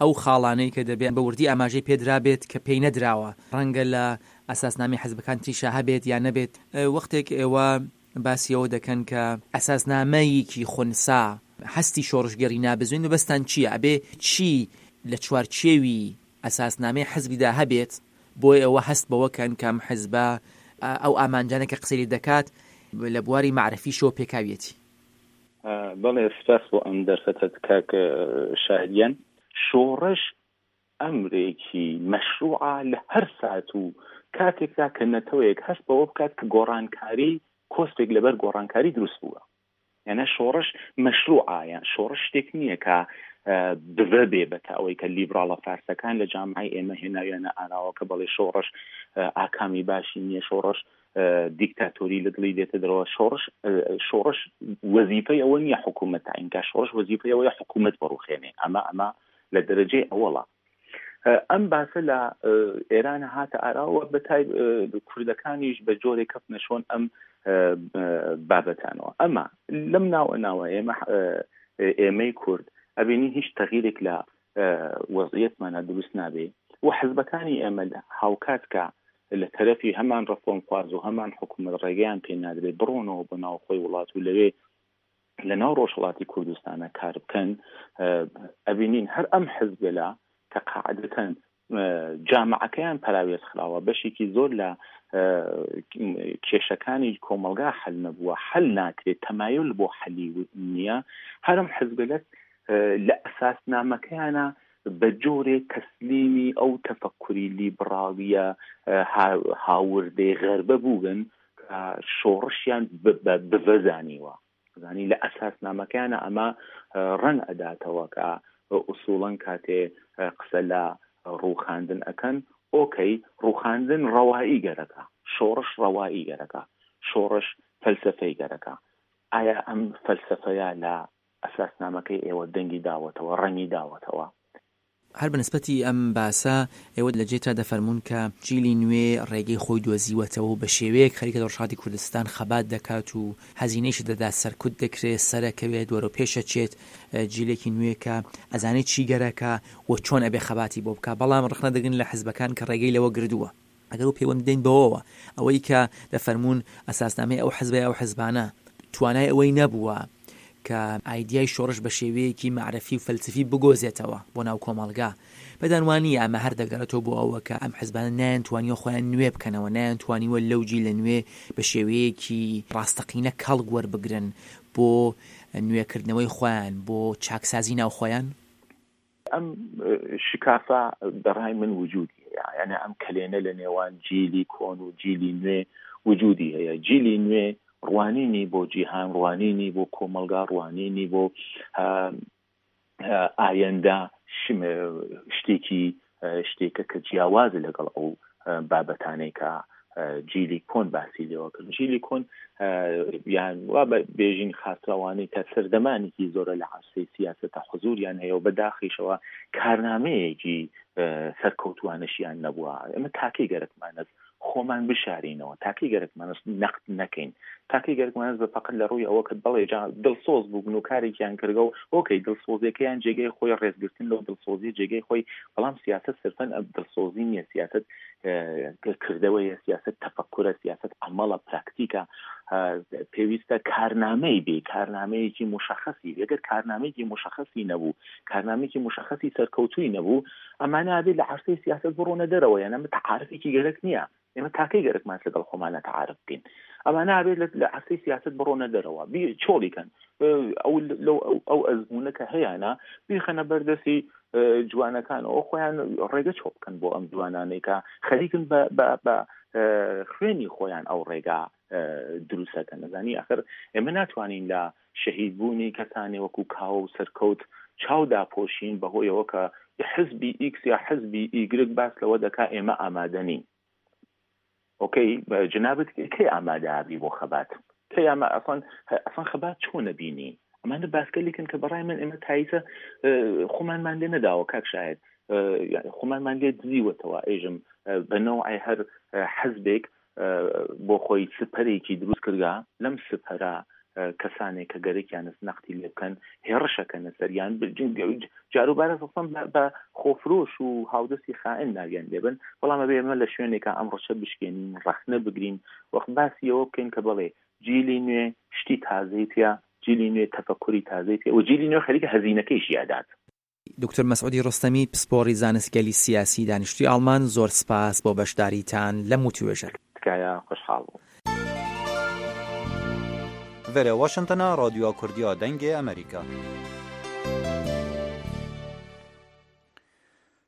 ئەو خاڵانەی کە دەبێت بە وردی ئاماژەی پێدرابێت کە پێی نەدراوە. ڕەنگە لە ئاساسنامەی حزبەکان تریشا هەبێت یا نەبێت. ئە، وەختێک ئێوە باسی ئەوە دەکەن کە ئاساسنامەیەکی خونسا هەستی شۆڕشگێڕی نابزوێن، مەبەستان چییە؟ ئەبێ چی لە چوارچێوی ئاساسنامەی حزبیدا هەبێت بۆی ئەوە هەست بەوە کەن کە ئەم حزبە، ئە، ئەو ئامانجانە کە قسەی لێ دەکات لە بواری مەعرەفیشەوە پێکاویەتی؟ ئە، بەڵێ، سپاس بۆ ئەم دەرفەتەت، کاک، ئە، شاهدیان. شۆڕش ئەمرێکی مەشروعە لە هەر سات و کاتێکدا کە نەتەوەیەک هەست بەوە بکات کە گۆڕانکاری، کۆسپێک لەبەر گۆڕانکاری دروست بووە. یانە شۆڕش مەشروعە، یان شۆڕش شتێک نییە کە، ئە، بڤە بێ بە تا ئەوەی کە لیبراڵە فارسەکان لە جامعەی ئێمە هێناویانە ئاراوە کە بەڵێ شۆڕش، ئە، ئاکامی باشی نییە، شۆڕش، ئە، دیکتاتۆری لە دڵی دێتە دەرەوە. شۆڕش، ئە، شۆڕش وەزیفەی ئەوە نییە حکوومەت تاینکە، شۆڕش وەزیفەی ئەوەیە حکوومەت بەڕوخێنێ. ئەمە، ئەمە لە دەرەجەی ئەوەڵە. ئە، ئەم باسە لە، ئە، ئێرانە هاتە ئاراوە، بە تای-، ئە، کوردەکانیش بە جۆرێک کەفتنە شۆن ئەم، ئە، ئە، بابەتانەوە. ئەمە لەم ناوە ناوە ئێمە، ئە، ئێمەی کورد ئەبینین هیچ تەغیرێک لە، ئە، وەزعیەتمانە دروست نابێ و حزبەکانی ئێمە لە هاوکات کە لە تەرەفی هەمان ڕەفۆمخواز و هەمان حکوومەت ڕێگەیان پێ نادرێت بڕۆنەوە بۆ ناوخۆی وڵات و لەوێ لە ناو ڕۆژهەڵاتی کوردستانە کار بکەن، ئە، ئەبینین هەر ئەم حزبەلە کە قاعدەتەن، ئە، جامعەکەیان پەراوێز خراوە، بەشێکی زۆر لە، ئە، کێشەکانی کۆمەلگا حل نەبووە، حل ناکرێت، تەمایل بۆ حەلی و-، نییە. هەر ئەم حزبەلە، ئە، لە ئەساسنامەکەیانە بە جۆرێ تەسلیمی ئەو تەفەکوری لیبراڵیە، ئە، ها-، هاوردەی غەربە بووبن کە شۆڕشیان ب-، بە-، بڤەزانیوە. زانی لە ئەساسنامەکەیانە ئەمە، ئە، ڕەن ئەداتەوە کە ئوسوڵەن کاتێ، ئە، قسە لە ڕووخاندن ئەکەن. ئۆکەی، ڕووخاندن ڕەوایی گەرەکە، شۆڕش ڕەوایی گەرەکە، شۆڕش فەلسەفەی گەرەکە. ئایا ئەم فەلسەفەیە لە ئەساسنامەکەی ئێوە دەنگی داوەتەوە، ڕەنگی داوەتەوە؟ هەر بە نسبەتی ئەم باسە، ئێوە لە جێترا دەفەرموون کە جیلی نوێ ڕێگەی خۆی دۆزیوەتەوە و بە شێوەیەک خەریکە لە ڕۆژهەڵاتی کوردستان خەبات دەکات و هەزینەیش دەدات، سەرکوت دەکرێت، سەرەکەوێت، وەرەو پێشەچێت، ئە، جیلێکی نوێ کە ئەزانێت چی گەرەکە و چۆن ئەبێ خەباتی بۆ بکە. بەڵام ڕخنە دەگرن لە حزبەکان کە ڕێگەی لەوە گردووە. ئەگەر و پەیوەند بدەین بەوەوە، ئەوەی کە دەفەرموون ئەساسنامەی ئەو حزبە یا ئەو حزبانە توانای ئەوەی نەبووە کە ئایدیای شۆڕش بە شێوەیەکی مەعرەفی و فەلسەفی بگۆزێتەوە بۆ ناو کۆمەڵگا. پێدان وانییە ئەمە هەر دەگەڕێتەوە بۆ ئەوە کە ئەم حزبانە نایان توانیوە خۆیان نوێ بکەنەوە، نایان توانیوە لەو جیلە نوێ بە شێوەیەکی ڕاستەقینە کەڵک وەربگرن بۆ نوێکردنەوەی خۆیان، بۆ چاکسازی ناو خۆیان. ئەم، ئە، شکافە بەڕای من وجودی هەیە. یعنی ئەم کەلێنە لە نێوان جیلی کۆن و جیلی نوێ وجودی هەیە. جیلی نوێ ڕوانینی بۆ جیهان، ڕوانینی بۆ کۆمەلگا، ڕوانینی بۆ، ئە، ئە، ئایەندە شم-، شتێکی، ئە، شتێکە کە جیاواز لەگەڵ ئەو، ئە، بابەتانەی کە، ئە، جیلی کۆن باسی لێوە کرد. جیلی کۆن، ئە، یان وا بە بێژین خاسراوانی کە سەردەمانێکی زۆرە لە عەرسەی سیاسەتە حزوریان هەیە و بەداخیشەوە کارنامەیەکی، ئە، سەرکەوتوانەشیان نەبووە. ئێمە تاکەی گەرەکمانە خۆمان بشارینەوە، تاکەی گەرەکمانە نەقد نەکەین، تاکەی گەرەکمانە بە فەقەت لە ڕووی ئەوە کە بەڵێ جا دڵسۆز بووبن و کارێکیان کردەوە، ئۆکەی، دڵسۆزیەکەیان جێگەی خۆی، ڕێزگرتن لەو دڵسۆزی جێگەی خۆی، بەڵام سیاسەت صرفەن ئە، دڵسۆزی نییە، سیاسەت، ئە، کردەوەیە، سیاسەت تەفەکورە، سیاسەت عەمەڵە، پراکتیکە، ئە، پێویستە کارنامەی بێ، کارنامەیەکی مشخصی بێ. ئەگەر کارنامەیەکی مشخصی نەبوو، کارنامەیەکی مشخصی سەرکەوتووی نەبوو، ئەمانە ئەبێ لە عەرسەی سیاسەت بڕۆنە دەرەوە، یان ئەمە تەعارفێکی گەرەک نییە. ئێمە تاکەی گەرەکمان لەگەڵ خۆمانە تەعارف بکەین. ئەمانە ئەبێت لە، لە عەرسەی سیاسەت بڕۆنە دەرەوە، بی-، چۆڵی کەن. ئە، ئەو، لەو، ئەو، ئەو ئەزموونە کە هەیەنە، بیخەنە بەردەستی، ئە، جوانەکانەوە، خۆیان ڕێگە چۆڵ بکەن بۆ ئەم جوانانەی کە خەریکن بە، بە، بە، ئە، خوێنی خۆیان ئەو ڕێگا، ئە، دروستەکەن. نەزانی، ئەخر ئێمە ناتوانین لە شەهیدبوونی کەسانی وەکو کاوە و سەرکەوت چاو داپۆشین بەهۆیەوە کە حزبی ئیکس یا حزبی ئیگرگ باس لەوە دەکا ئێمە ئامادە نین. ئۆکەی، جنابت کەی ئامادە ئابی بۆ خەبات؟ کەی ئاما-، ئەسڵەن، ئەسڵەن خەبات چۆنە بینی؟ ئەمانە باسکەلیکن کە بەڕای من ئێمە تایسە، ئە، خۆمانمان لێ نەداوە، کاک شاهد. ئە، یعنی خۆمانمان لێ دزیوەتەوە، ئێژم، ئە، بە نەوعی هەر، ئە، حزبێک، بۆ خۆی سپەرێکی دروست کردگە. لەم سپەرە کەسانێک کە گەرەکیانە نەختی لێ بکەن، هێڕشەکەنە سەریان. جارو بارە سەسەم بە خۆفرۆش و هاودەستی خائن ناویان لێبن. بەڵام ئەبێ ئێمە لە شوێنێکە ئەم ڕەشە بشکێنین، ڕەخنە بگرین، وەخت باسی ئەوە بکەین کە بەڵێ جیلی نوێ شتی تازەی پێ، جیلی نوێ تەفەکوری تازەی پێ و جیلی نوێ خەریکە هەزینەکەی ژیادات. دکتۆر مەسعودی ڕۆستەمی، پسپۆڕی زانستگەلی سیاسی، دانیشتوی ئاڵمان، زۆر سپاس بۆ بەشداریتان لە موتوێژە. تکایە، خۆشحاڵ بوو. Vere Washingtona, Radyoya Kurdiya Dengê Amerîka.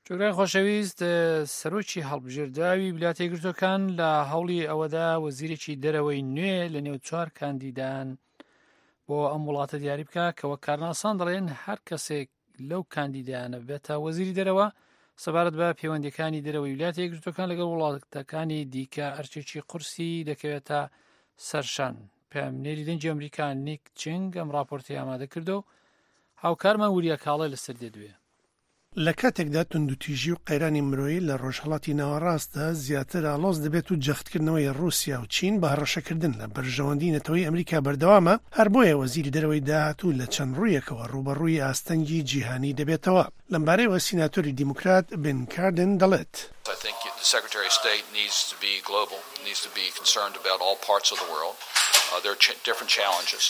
جۆگرای خۆشەویست، سەرۆکی هەڵبژێردراوی ویلایەتە یەکگرتوەکان لە هەوڵی ئەوەدا وەزیرێکی دەرەوەی نوێ لە نێو چوار کاندیدان بۆ ئەم وڵاتە دیاری بکە کە وەک کارناسان دەڵێن هەر کەسێک لەو کاندیدانە بێتە وەزیری دەرەوە، سەبارەت بە پەیوەندیەکانی دەرەوەی ویلایەتە یەکگرتوەکان لەگەڵ وڵاتەکانی دیکە ئەرچێکی قورسی دەکەوێتە سەرشان. پەیامنێری دەنگی ئەمریکا نیک چنگ ئەم راپۆرتی ئامادە کردو، هاوکارمان وریا کاڵێ لەسەر دێدوێ. لە کاتێکدا توندوتیژی و قەیرانی مرۆیی لە ڕۆژهەڵاتی ناوەڕاستدا زیاتر ئاڵۆز دەبێت و جەختکردنەوەی ڕووسیا و چین بە هەڕەشەکردن لە بەرژەوەندی نەتەوەی ئەمریکا بەردەوامە، هەر بۆیە وەزیری دەرەوەی داهاتوو لە چەند ڕوویەکەوە ڕوبەڕووی ئاستەنگی جیهانی دەبێتەوە. لەمبارەیەوە سیناتۆری دیموکرات بن کاردن دەڵێت. I think the Secretary of State needs to be global, needs to be concerned about all parts of the world. Uh, there are ch- different challenges.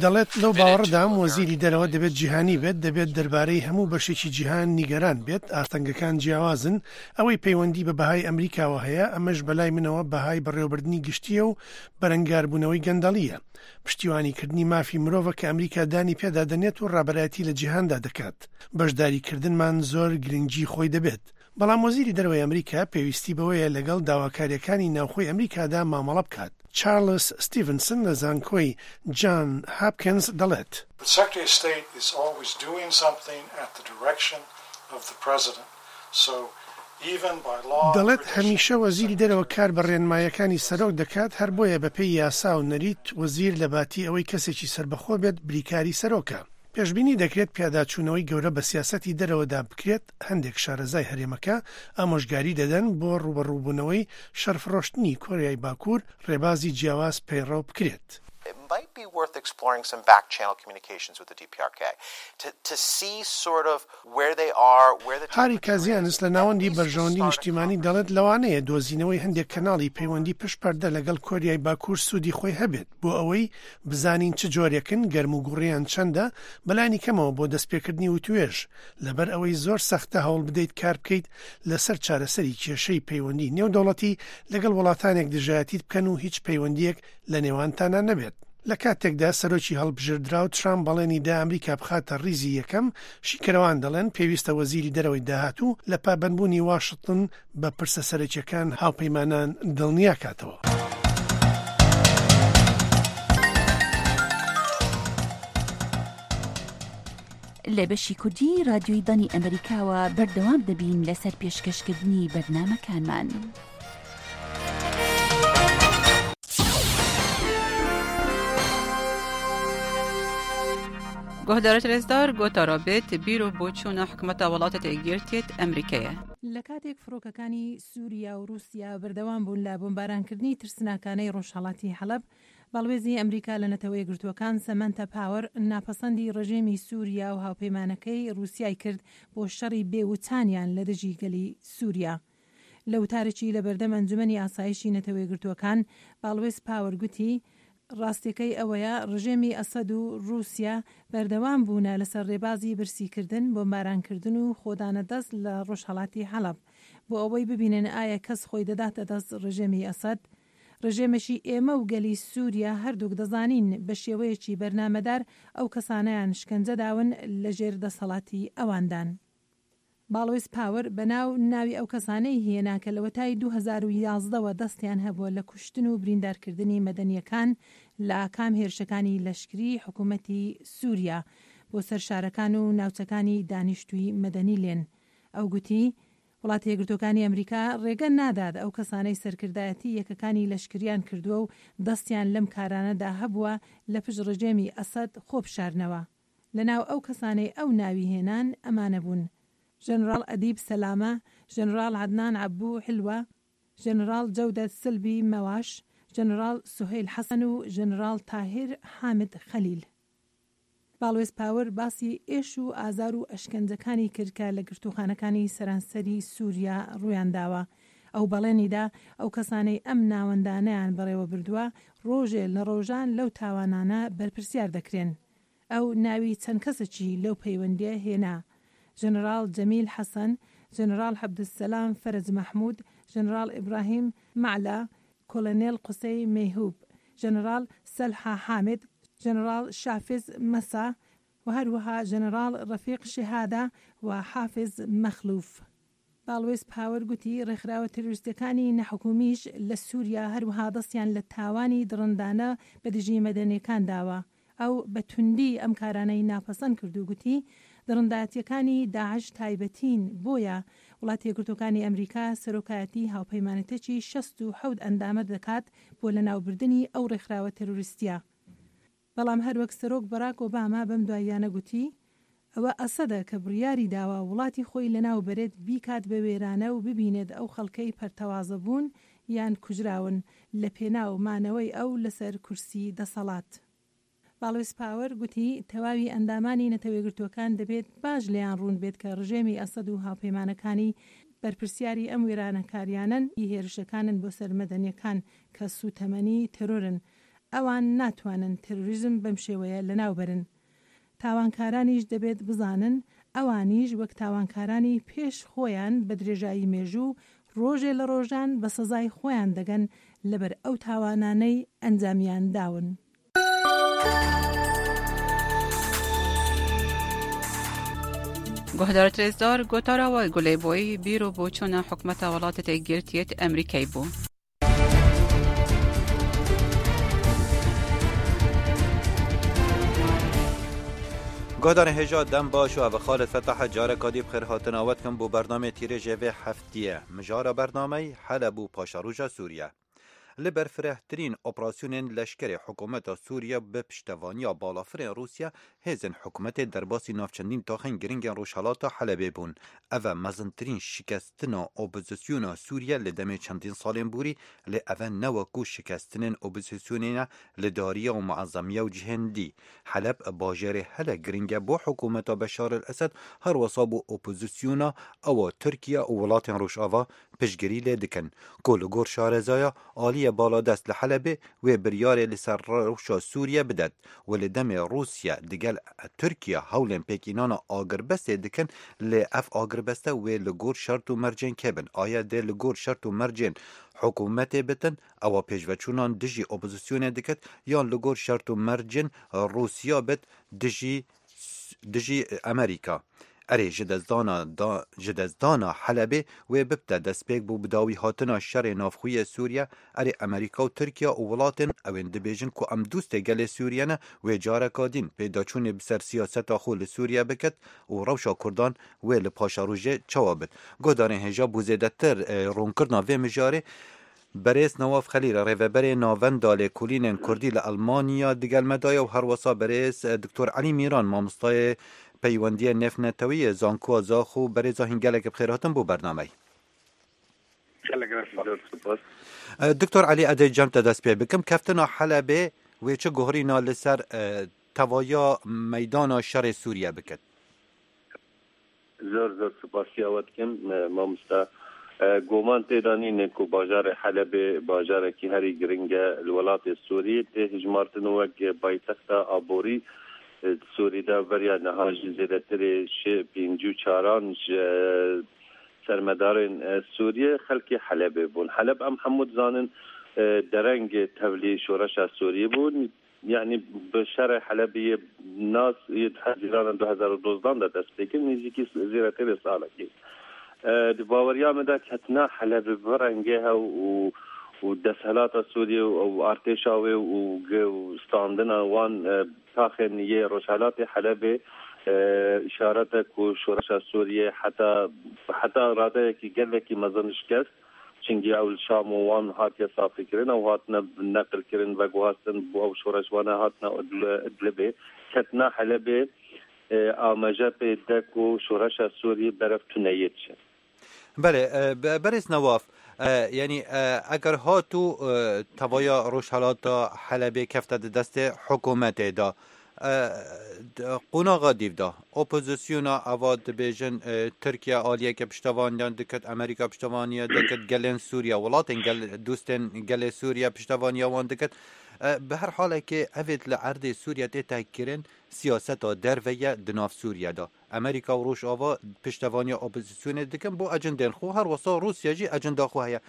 دەڵێت، لەو باوەڕدام وەزیری دەرەوە دەبێت جیهانی بێت، دەبێت دەربارەی هەموو بەشێکی جیهان نیگەران بێت. ئاستەنگەکان جیاوازن. ئەوەی پەیوەندی بە بەهای ئەمریکاوە هەیە، ئەمەش بەلای منەوە بەهای بەڕێوەبردنی گشتیە و بەرەنگاربوونەوەی گەندەڵیە. پشتیوانیکردنی مافی مرۆڤە کە ئەمریکا دانی پێدا دەنێت و ڕابەرایەتی لە جیهاندا دەکات. بەشداریکردنمان زۆر گرنگی خۆی دەبێت. بەڵام وەزیری دەرەوەی ئەمریکا پێویستی بەوەیە لەگەڵ داواکاریەکانی ناوخۆی ئەمریکادا مامەڵە بکات. چارلز ستیڤنسن لە زانکۆی جان هاپکینز دەڵێت. The Secretary of State is always doing something at the direction of the President. So, even by law, دەڵێت، هەمیشە وەزیری دەرەوە کار بە ڕێنمایەکانی سەرۆک دەکات، هەر بۆیە بە پێی یاسا و نەریت وەزیر لە باتی ئەوەی کەسێکی سەربەخۆ بێت بریکاری سەرۆکە. پێشبینی دەکرێت پیاداچوونەوەی گەورە بە سیاسەتی دەرەوەدا بکرێت. هەندێک شارەزای هەرێمەکە ئامۆژگاری دەدەن بۆ ڕوبەڕووبوونەوەی شەرفڕۆشتنی کۆریای باکوور ڕێبازی جیاواز پەیڕەو بکرێت. It might be worth exploring some back channel communications with the D P R K to, to see sort of where they are, where the هاری کازیانس لە ناوەندی بەرژەوەندی نیشتیمانی دەڵێت، لەوانەیە دۆزینەوەی هەندێک کەناڵی پەیوەندی پشت پەردە لەگەڵ کۆریای باکوور سوودی خۆی هەبێت بۆ ئەوەی بزانین چ جۆرێکن گەرم و گوڕیان چەندە، بەلانی کەمەوە بۆ دەستپێکردنی وتوێژ، لەبەر ئەوەی زۆر سەختە هەوڵ بدەیت کار بکەیت لەسەر چارەسەری کێشەی پەیوەندی نێودەوڵەتی لەگەڵ وڵاتانێک دژایەتیت بکەن و هیچ پەیوەندیەک لە نێوانتانا نەبێت. لە کاتێکدا سەرۆکی هەڵبژێردراو ترامپ بەڵێنی دا ئەمریکا بخاتە ڕیزی یەکەم، شیکەرەوان دەڵێن پێویستە وەزیری دەرەوەی داهاتوو لە پابەندبوونی واشنتن بە پرسە سەرەکیەکان هاوپەیمانان دڵنیا کاتەوە. لە بەشی کوردی رادیۆی دانی ئەمریکاوە بەردەوام دەبین لەسەر پێشکەشکردنی بەرنامەکانمان. Guhdarêt rêzdar, gotara bêt, bîr û boçûna hikûmeta Welatêt Êgîrtêt Emerîkeyê. لە کاتێک فڕۆکەکانی سووریا و رووسیا بەردەوام بوون لە بۆمبارانکردنی ترسناکانەی ڕۆژهەڵاتی حەڵەب، باڵوێزی ئەمریکا لە نەتەوە یەکگرتووەکان سەمانتا پاوەر ناپەسەندی ڕژێمی سووریا و هاوپەیمانەکەی رووسیای کرد بۆ شەڕی بێوچانیان لە دژی گەلی سووریا. لە وتارێکی لە بەردەم ئەنجومەنی ئاسایشی نەتەوە یەکگرتووەکان، باڵوێز پاوەر گوتی، ڕاستیەکەی ئەوەیە ڕژێمی ئەسەد و رووسیا بەردەوام بوونە لەسەر ڕێبازی برسیکردن، بۆمبارانکردن و خۆدانە دەست لە ڕۆژهەڵاتی حەڵەب، بۆ ئەوەی ببینن ئایا کەس خۆی دەداتە دەست ڕژێمی ئەسەد. ڕژێمێکی ئێمە و گەلی سووریا هەردووک دەزانین بە شێوەیەکی بەرنامەدار ئەو کەسانەیان شکەنجە داون لە ژێر دەسەڵاتی ئەواندان. باڵوێز پاوەر بە ناو ناوی ئەو کەسانەی هێنا کە لە وەتای دوو هەزار و یازدە وە دەستیان هەبووە لە کوشتن و بریندارکردنی مەدەنیەکان لە ئاکام هێرشەکانی لەشکری حکوومەتی سووریا بۆ سەر شارەکان و ناوچەکانی دانیشتووی مەدەنی لێن. ئەو گوتی، وڵاتە یەکگرتوەکانی ئەمریکا ڕێگە نادات ئەو کەسانەی سەرکردایەتی یەکەکانی لەشکریان کردووە و دەستیان لەم کارانەدا هەبووە لە پشت ڕژێمی ئەسەد خۆ بشارنەوە. لە ناو ئەو کەسانەی ئەو ناوی هێنان ئەمانە بوون: ژەنراڵ ئەدیب سەلامە، ژەنراڵ عەدنان عەبوو حلوە، ژێنەرال جەودەت سلبی مەواش، ژێنەرال سوهەیل حەسەن و ژێنەرال تاهیر حامد خەلیل. باڵوێز پاور باسی ئێش و ئازار و ئەشکەنجەکانی کرد کە لە گرتوخانەکانی سەرانسەری سووریا ڕوویان داوە. ئەو بەڵێنی دا ئەو کەسانەی ئەم ناوەندانەیان بەڕێوە بردووە، ڕۆژێ لە ڕۆژان لەو تاوانانە بەرپرسیار دەکرێن. ئەو ناوی چەند کەسێکی لەو پەیوەندیە هێنا: ژێنەرال جەمیل حەسەن، ژێنەرال عەبدولسەلام فەرەج مەحموود، ژێنەرال ئیبراهیم مەعلا، کۆلۆنێل قوسەی مەیهوب، ژێنەرال سەلحا حامد، ژێنەرال شافز مەسا و هەروەها ژێنەرال ڕەفیق شەهادا و حافز مەخلوف. باڵوێز پاوەر گوتی، ڕێکخراوە تەرۆریستەکانی نەحکومیش لە سووریا هەروەها دەستیان لە تاوانی دڕندانە بە دژی مەدەنیەکان داوە. ئەو بە توندی ئەم کارانەی ناپەسەند کرد و گوتی، دڕندایەتیەکانی داعش تایبەتین، بۆیە وڵاتە یەکگرتوەکانی ئەمریکا سەرۆکایەتی هاوپەیمانەتێکی شەست و حەوت ئەندامە دەکات بۆ لەناوبردنی ئەو ڕێکخراوە تەرۆریستیە. بەڵام هەروەک سەرۆک بەراک ئۆباما بەم دواییانە گوتی، ئەوە ئەسەدە کە بڕیاری داوە وڵاتی خۆی لەناو بەرێت، بیکات بە وێرانە و ببینێت ئەو خەڵکەی پەرتەوازە بوون یان کوژراون لە پێناو مانەوەی ئەو لەسەر کورسی دەسەڵات. باڵوێز پاوەر گوتی، تەواوی ئەندامانی نەتەوە یەکگرتووەکان دەبێت باش لێیان ڕوون بێت کە ڕژێمی ئەسەد و هاوپەیمانەکانی بەرپرسیاری ئەم وێرانەکاریانەن، ئی هێرشەکانن بۆ سەر مەدەنیەکان کە سوتەمەنی تەرۆرن. ئەوان ناتوانن تەرۆریزم بەم شێوەیە لەناوبەرن. تاوانکارانیش دەبێت بزانن، ئەوانیش وەک تاوانکارانی پێش خۆیان بە درێژایی مێژوو، ڕۆژێ لە ڕۆژان بە سەزای خۆیان دەگەن لەبەر ئەو تاوانانەی ئەنجامیان داون. Guhdarê rêzdar, gotara we gulê boyî bîr û boçûna hikûmeta welatê têgirtiyêt Emerîkayê bû. Guhdarên hêja dem baş û ev Xalid Fetah e, careka dî bi xêr hatina we dikim bo bernameyê tîrêjê vê heftiyê. Mijara bernameyî Heleb û paşeroja Sûriye. Li berfirehtirîn operasyonên leşkerê hikûmeta Sûriye bi piştevaniya balafirên Rûsya, hêzên hikûmetê derbasî nav çendîn taxên giringên rojhelata Helebê bûn. Ev e mezintirîn şikestina opozisyona Sûriye li demê çendîn salên borî, lê ev e ne wekû şikestinên opozisyonê ne li dariya û muezemiya û cihên dî. Heleb bajêrê hele giring e bo hikûmeta Beşar el Esed, her wesa bo opozisyona ewa Tirkiye û welatên Rojava piştgirî lê dikin, ku li gor şarezaya aliyê baladest li Helebê wê biryarê li ser rewşa Sûriye bidet û li demê Rûsya digel Tirkiye hewlên pêkînana agirbestê dikin, lê ev agirbeste wê li gor şert û mercên kê bin? Aya dê li gor şert û mercên hikûmetê bitin, ewa pêşveçûnan dijî opozisyonê dikit, yan li gor şert û mercên Rûsya bit dijî, dijî Amerîka? Erê, ji destdana da, ji destdana Helebê wê bibte destpêk bo bidawî hatina şerê navxwe yê Sûriye. Erê, Amerîka û Tirkiye û welatên ew ên dibêjin ku em dostê gelê Sûriye ne, wê careka din pêdaçûnê bi ser siyaseta xwe li Sûriye bikit û rewşa Kurdan wê li paşerojê çawa bit. Guhdarên hêja, bo zêdetir, e, ronkirina vê mijarê, Berêz Newaf Xelîl, rêveberê Navenda Lêkolînên Kurdî li Elmanya digel me de ye û herwesa berêz, e, Doktor Elî Mîran, mamostayê peywendiyê nêvnetewî yê Zankoya Zaxo. Berêza hîn gelek bi xêr hatin bo bernameyê. Gelek rast, zor spas. E, Doktor Elî, ez ê cem te dest pê bikim. Keftina Helebê wê çi guherîna li ser, e, tevaya meydana şerê Sûriye bikit? Zor zor spasiya we dikim, e, mamosta. E, goman tê de nîne ku bajarê Helebê bajarekî herî giring e li welatê Sûriyê. Tê hijmartin wek paytexta aborî, e, di Sûrî de. Beriya niha jî zêdetirê şê pêncî û çaran ji, e, sermedarên, e, Sûriyê xelkê Helebê bûn. Heleb, em hemû dizanin, e, dereng tevlî şoreşa Sûriyê bû. Yanî bi şerê Helebê yê nas yê di Hezîrana du hezar û dozdan de dest pê kir, nêzîkî zêdetirê salekî. E, di baweriya min de ketina Helebê bi rengê hew û, û desthilata Sûriyê û, û artêşa wê û ge-, û standina wan, e, taxên yê rojhelatê Helebê, e, îşaret e ku şoreşa Sûriyê heta, heta radeyekî gelekî mezin şikest. Çingî ew li Şam û wan hatiye safîkirin, ew hatine neqilkirin, veguhastin, bo ew şoreşvane hatine Idl-, Idlibê, ketina Helebê, e, amaje pê de ku şoreşa Sûriyê berev tune yê diçe. Belê, e, be-, berêz Newaf, E, yanî, e, eger hatû, e, tevaya rojhelata Helebê kefte di destê hikûmetê de, e, d-, qonaxa dîv de, opozisyona eva dibêjin, e, Tirkiye aliyeke piştevaniyan dikit, Amerîka piştevaniya dikit, gelên Sûriye, welatên gel-, dostên gelê Sûriye piştevaniya wan dikit. E, bi her halekê, evêt li erdê Sûriye tê tehkirin, siyaseta derve ye di nav Sûriye de. Amerîka û Rojava piştevaniya opozisyonê dikin bo ecindên xwe, her wesa Rûsya jî ecinda xwe heye.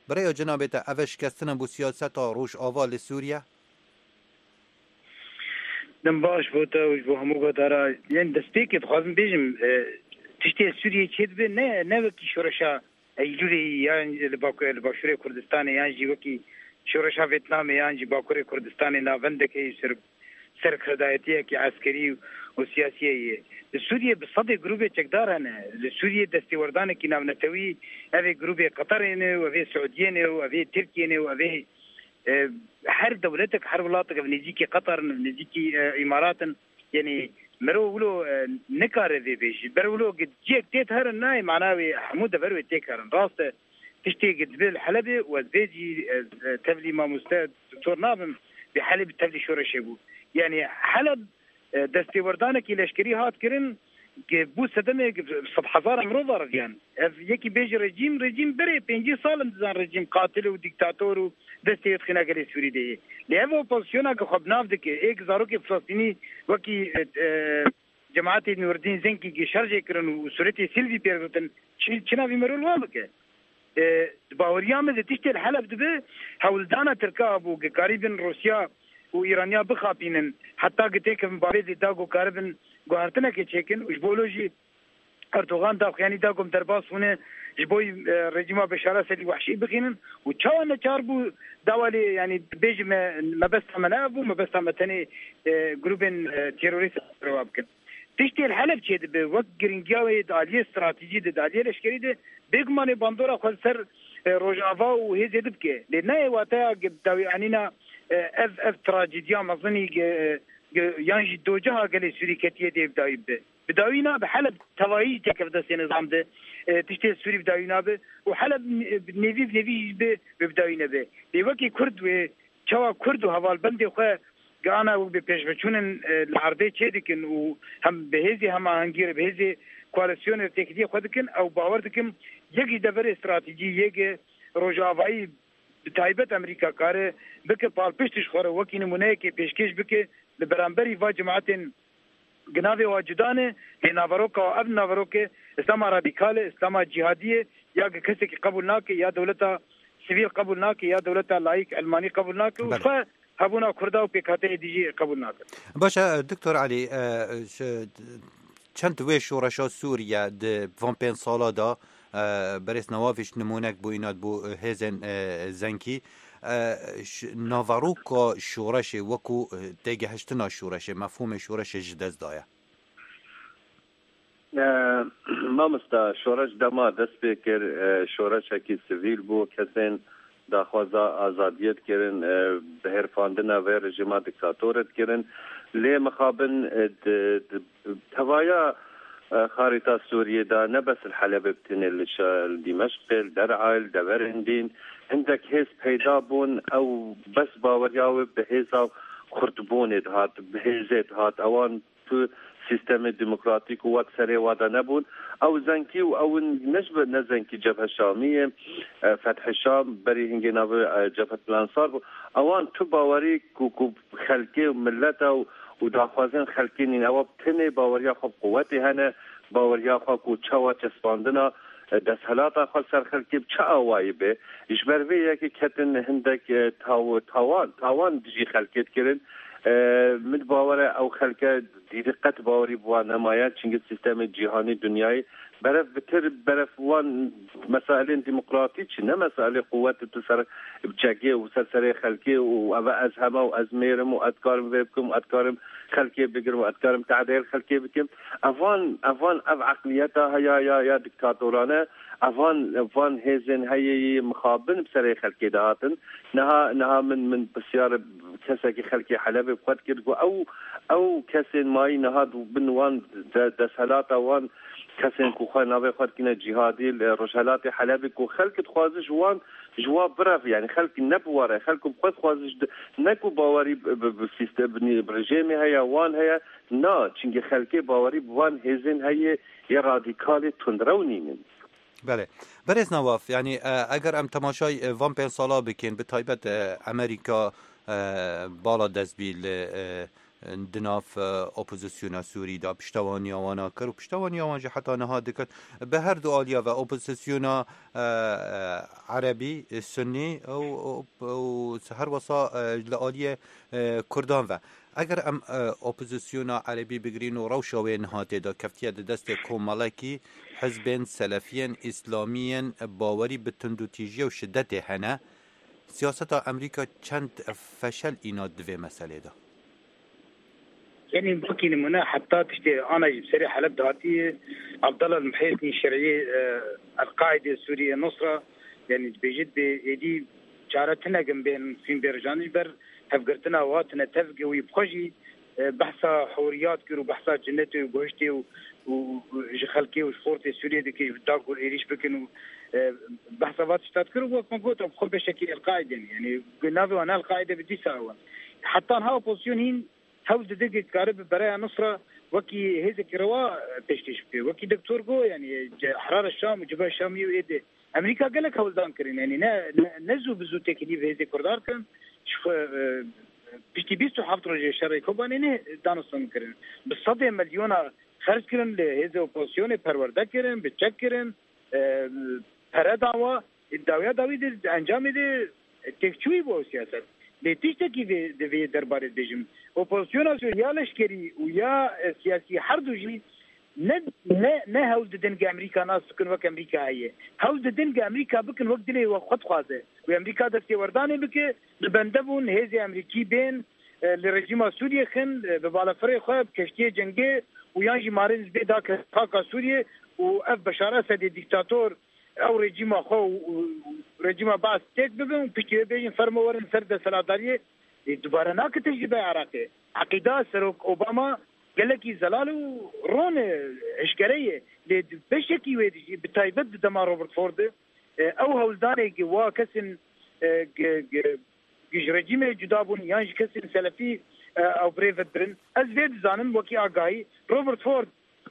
Bi rêya cenabê te, ev e şikestin e bo siyaseta Rojava li Sûriye? Dem baş bo te û ji bo hemû guhdara. Yên destpêkê dixwazim bêjim, e, tiştê Sûriyê çêdibe ne, ne wekî şoreşa Eylûlê yan li Baku-, li Başûrê Kurdistanê yan jî wekî şoreşa Vêtnamê yan jî Bakurê Kurdistanê navendek heye ser, serkirdayetiyekî eskerî û siyasî ye. Li Sûriyê bi sedê grûbê çekdar hene. Li Sûriyê destêwerdanekî navnetewî, evê grûbê Qeterê ne û evê Siûdiyê ne û evê Tirkiyê ne û evê, e, her dewletek, her welatek, ev nêzîkî Qeter in, nêzîkî, e, Îmarat in. Yanî mirov wilo, e, nikare vê bêjî. Ber wilo cihek tê diherin nayê mana wê hemû dever wê têk herin. Rast e, tiştê dibe li Helebê û ez vê jî, e, e, tevlî mamoste doktor nabim, bi Helebê tevlî şoreşê bû. Yanî Heleb, e, destêwerdanekî leşkerî hat kirin, ki bû sedemê, ki sedhezara mirov va reviyan. Ev yekî bêjî rejîm, rejîm berê pêncî sal in dizan rejîm qatil û dîktator û destê yê dixîne gelê Sûrî de yê. Lê ev opozisyona ki xwe bi nav dike, ê ki zarokê Filistînî wekî, e, e, cemaetê Nûreddîn Zenkî ki şerjê kirin û sûretê Silvî pê re girtin, çi, çi navî merûl wan bike? E, di baweriya min de tiştê li Heleb dibe, hewldana Tirka bû, ki karîbin Rûsya û Îraniya bixapînin, heta ki têkevin bavê de da ku karibin guhertinekê çêkin û ji bo lo jî Erdogan daxuyanî da ku em derbas bûne ji bo, e, rejîma Beşar Esedî wehşî bixînin û çawa neçar bû dawa lê, yanî bêjime mebesta me ne ev bû, mebesta me tenê, e, grûbên, e, terorîst rewa bikin. Tiştê li Heleb çêdibe, wek giringiya wê di aliyê stratejî de, di aliyê leşkerî de, bêgumanê bandora xwe li ser, e, Rojava û hêzê dibike. Lê nayê wateya ge-, dawî anîna, e, ev, ev trajediya mezinî ge-, ge-, yan jî doceha gelê Sûrî ketiye dê bi dawî bibe. Bi dawî nabe, Heleb tevayî jî têkeve destê nizam de, e, tiştê Sûrî bi dawî nabe û Heleb, e, nêvî bi nêvî jî bi, bi, bi dawî nebe. Lê wekî Kurd wê çawa Kurd û hevalbendê xwe gana û bi pêşveçûnin, e, li erdê çê dikin û hem bi hêzê hemahengî re, bi hêzê koalîsyonê re têkiliyê xwe dikin, ew bawer dikim yek ji deverê stratejî yê ki Rojavayî bi taybet Amerîka kare bike palpişt ji xwe re wekî nimûneyekê pêşkêş bike li beramberî va cemaetên Ginavê wa cuda ne, lê naveroka wa ev naveroke Îslama radîkal e, Îslama cîhadî ye, ya ki kesekî qebûl nake, ya dewleta sivîl qebûl nake, ya dewleta layîk elmanî qebûl nake û Belê. xwe hebûna Kurda û pêkhateyê dî jî qebûl nake. Baş e, Doktor Elî, e, ş-, çend wê şoreşa Sûriye di van pênc sala de, e, berêz Newafiş nimûnek bû, înat bû, e, hêzên, e, Zenkî. E, ş-, naveroka şoreşê wekû, e, têgehiştina şoreşê, mefhûmê şoreşê ji dest daye. E, mamosta, şoreş dema dest pê kir, e, şoreşekî sivîl bû, kesên daxwaza azadiyê dikirin, e, bihêrfandina vê rejîma dîktatorê dikirin. Lê mixabin, e, di, di, tevaya, e, xarîta Sûriyê de ne bes li Helebê bi tenê, li şe-, li Dîmeşqê, li Der'ayê, li deverên dîn hindek hêz peyda bûn. Ew bes baweriya wê bi hêza xurtbûnê dihat, bi hêzê dihat. Ewan tu sîstemê demokratîk û wek serê wa de nebûn. Ew Zenkî û ew in ne ji, ne Zenkî, Cebhe Şamî ye, e, Fethê Şam, berî hingê navê, e, Cebhetul Ensar bû. Ewan tu bawerî ku, ku xelkê û millet e û, û daxwazên xelkê nîn. Ewa bi tenê baweriya xwe bi quwetê hene, baweriya xwe ku çawa çespandina, e, desthilata xwe ser xelkê bi çi awayî be. Ji ber vê yekê ketin hindek, e, taw-, tawan, tawan dijî xelkê dikirin. E, min bawer e ew xelke dîrî qet bawerî bi wan nemaye, çimkî sîstemê cîhanî, dinyayê berev bitir, berev wan mesailên demokratîk jî, ne mesailê quwet û tu ser çekê û ser serê xelkê û ev e ez heme û ez mêr im û ez dikarim vê bikim û ez dikarim xelkê bigirim û ez dikarim tehdê xelkê bikim. Evan, evan ev eqliyeta heya ya, ya diktatorane, evan, van hêzên heyê yê mixabin bi serê xelkê dihatin. Niha, niha min, min pisyar kesekî xelkê Helebê bi xwe dikir, got, ew, ew kesên mayî niha bin wan de-, desthilata wan kesên ku Xwe navê xwe dikine cîhadî li rojhelatê Helebê ku xelk dixwaze ji wan, ji wan bireve, yanî xelk ne bi wan re, xelk bi xwe dixwaze ji di-, ne ku bawerî bi, bi, bi sîste-, bi nî-, bi rejêmê heye, wan heye, na, çimkî xelkê bawerî bi van hêzên heye yê radîkalê tundrew nînin. Belê. Berêz Nawaf, yanî, e, eger em temaşay, e, van pênc sala bikin, bi taybet, e, Amerîka, e, bala dest bî li, e, di nav, e, opozisyona Sûrî de piştevaniya wana kir û piştevaniya wan jî heta niha dikin. Bi her du aliya ve opozisyona, e, e, Erebî, e, Sunnî û, û, û her wesa, e, li aliyê, e, Kurdan ve. Eger em, e, opozisyona Erebî bigirîn û rewşa wê niha tê de keftiye di destê komelekî hizbên selefiyên îslamiyên bawerî bi tundûtîjiya û şidetê hene, siyaseta Amerîka çend feşel îna di vê meselê de? Yanî, wekî nimûne, heta tiştê ana jî bi serê Heleb de hatiye, Abdallah Muhyeddin Şerî, e, El-Qaîde Sûriye Nusra, yanî dibêjit bê êdî çare tune gin bên fîn bê rijan ji ber hevgirtina û hatine tevgê wî bi xwe jî, e, behsa huriyat kir û behsa cinetê û guhiştê û, û, û ji xelkê û ji xortê Sûriyê dikir, da ku êrîş bikin û, e, behsa va tişta dikir û wek me got, bi xwe beşekî El-Qaîde ne. Yanî, navê wan El-Qaîde bi dîsa ew e. Heta niha opozisyon hîn hewl dide ku kare bi bereya Nusra wekî hêzekî rewa, e, pêşkêş bike. Wekî Doktor got, yanî, ce-, Herara Şam û Cebheya Şamiyê û êdî Amerîka gelek hewldan kirin. Yanî ne, ne, ne zû bi zû têkilî bi hêzê Kurdan kirin. Ji xwe, e, piştî bîst û heft rojê şerê Kobanê ne danûstan kirin. Bi sedê milyona xerc kirin, li hêzê opozisyonê perwerde kirin, bi çek kirin, e, pere dawa, dawiya dawî de, encamê de têkçûyî bû ew siyaset. Lê tiştekî vê, di vê derbarê dibêjim. Opozisyona Sûrî ya leşkerî û ya, e, siyasî her du jî ne, ne, ne hewl didin ku Amerîka nas bikin wek Amerîka heye. Hewl didin ku Amerîka bikin wek dilê we xwe dixwaze. Û Amerîka destêwerdanê bike, li bende bûn hêzê Amerîkî bên, e, li rejîma Sûriyê xin, e, bi balafirê xwe, bi keştiyê cengê û yan jî marên ji bê dake xaka Sûriyê û ev Beşar Esedê dîktator ew rejîma xwe û, û, û rejîma Baas têk bibin û piştî wê bêjin fermo werin ser desthilatdariyê, ê, dubare nake tecrîbeya Iraqê. Eqîda Serok Obama gelekî zelal û ron e, eşkere ye. Lê di beşekî wê dijî, bi taybet di dema Robert Ford de, e, ew hewldanê gi wa kesên, e, gi, gi, gi ji rejîmê cuda bûn yan ji kesên selefî, e, ew bi rê ve dibirin. Ez vê dizanim wekî agahî Robert Ford,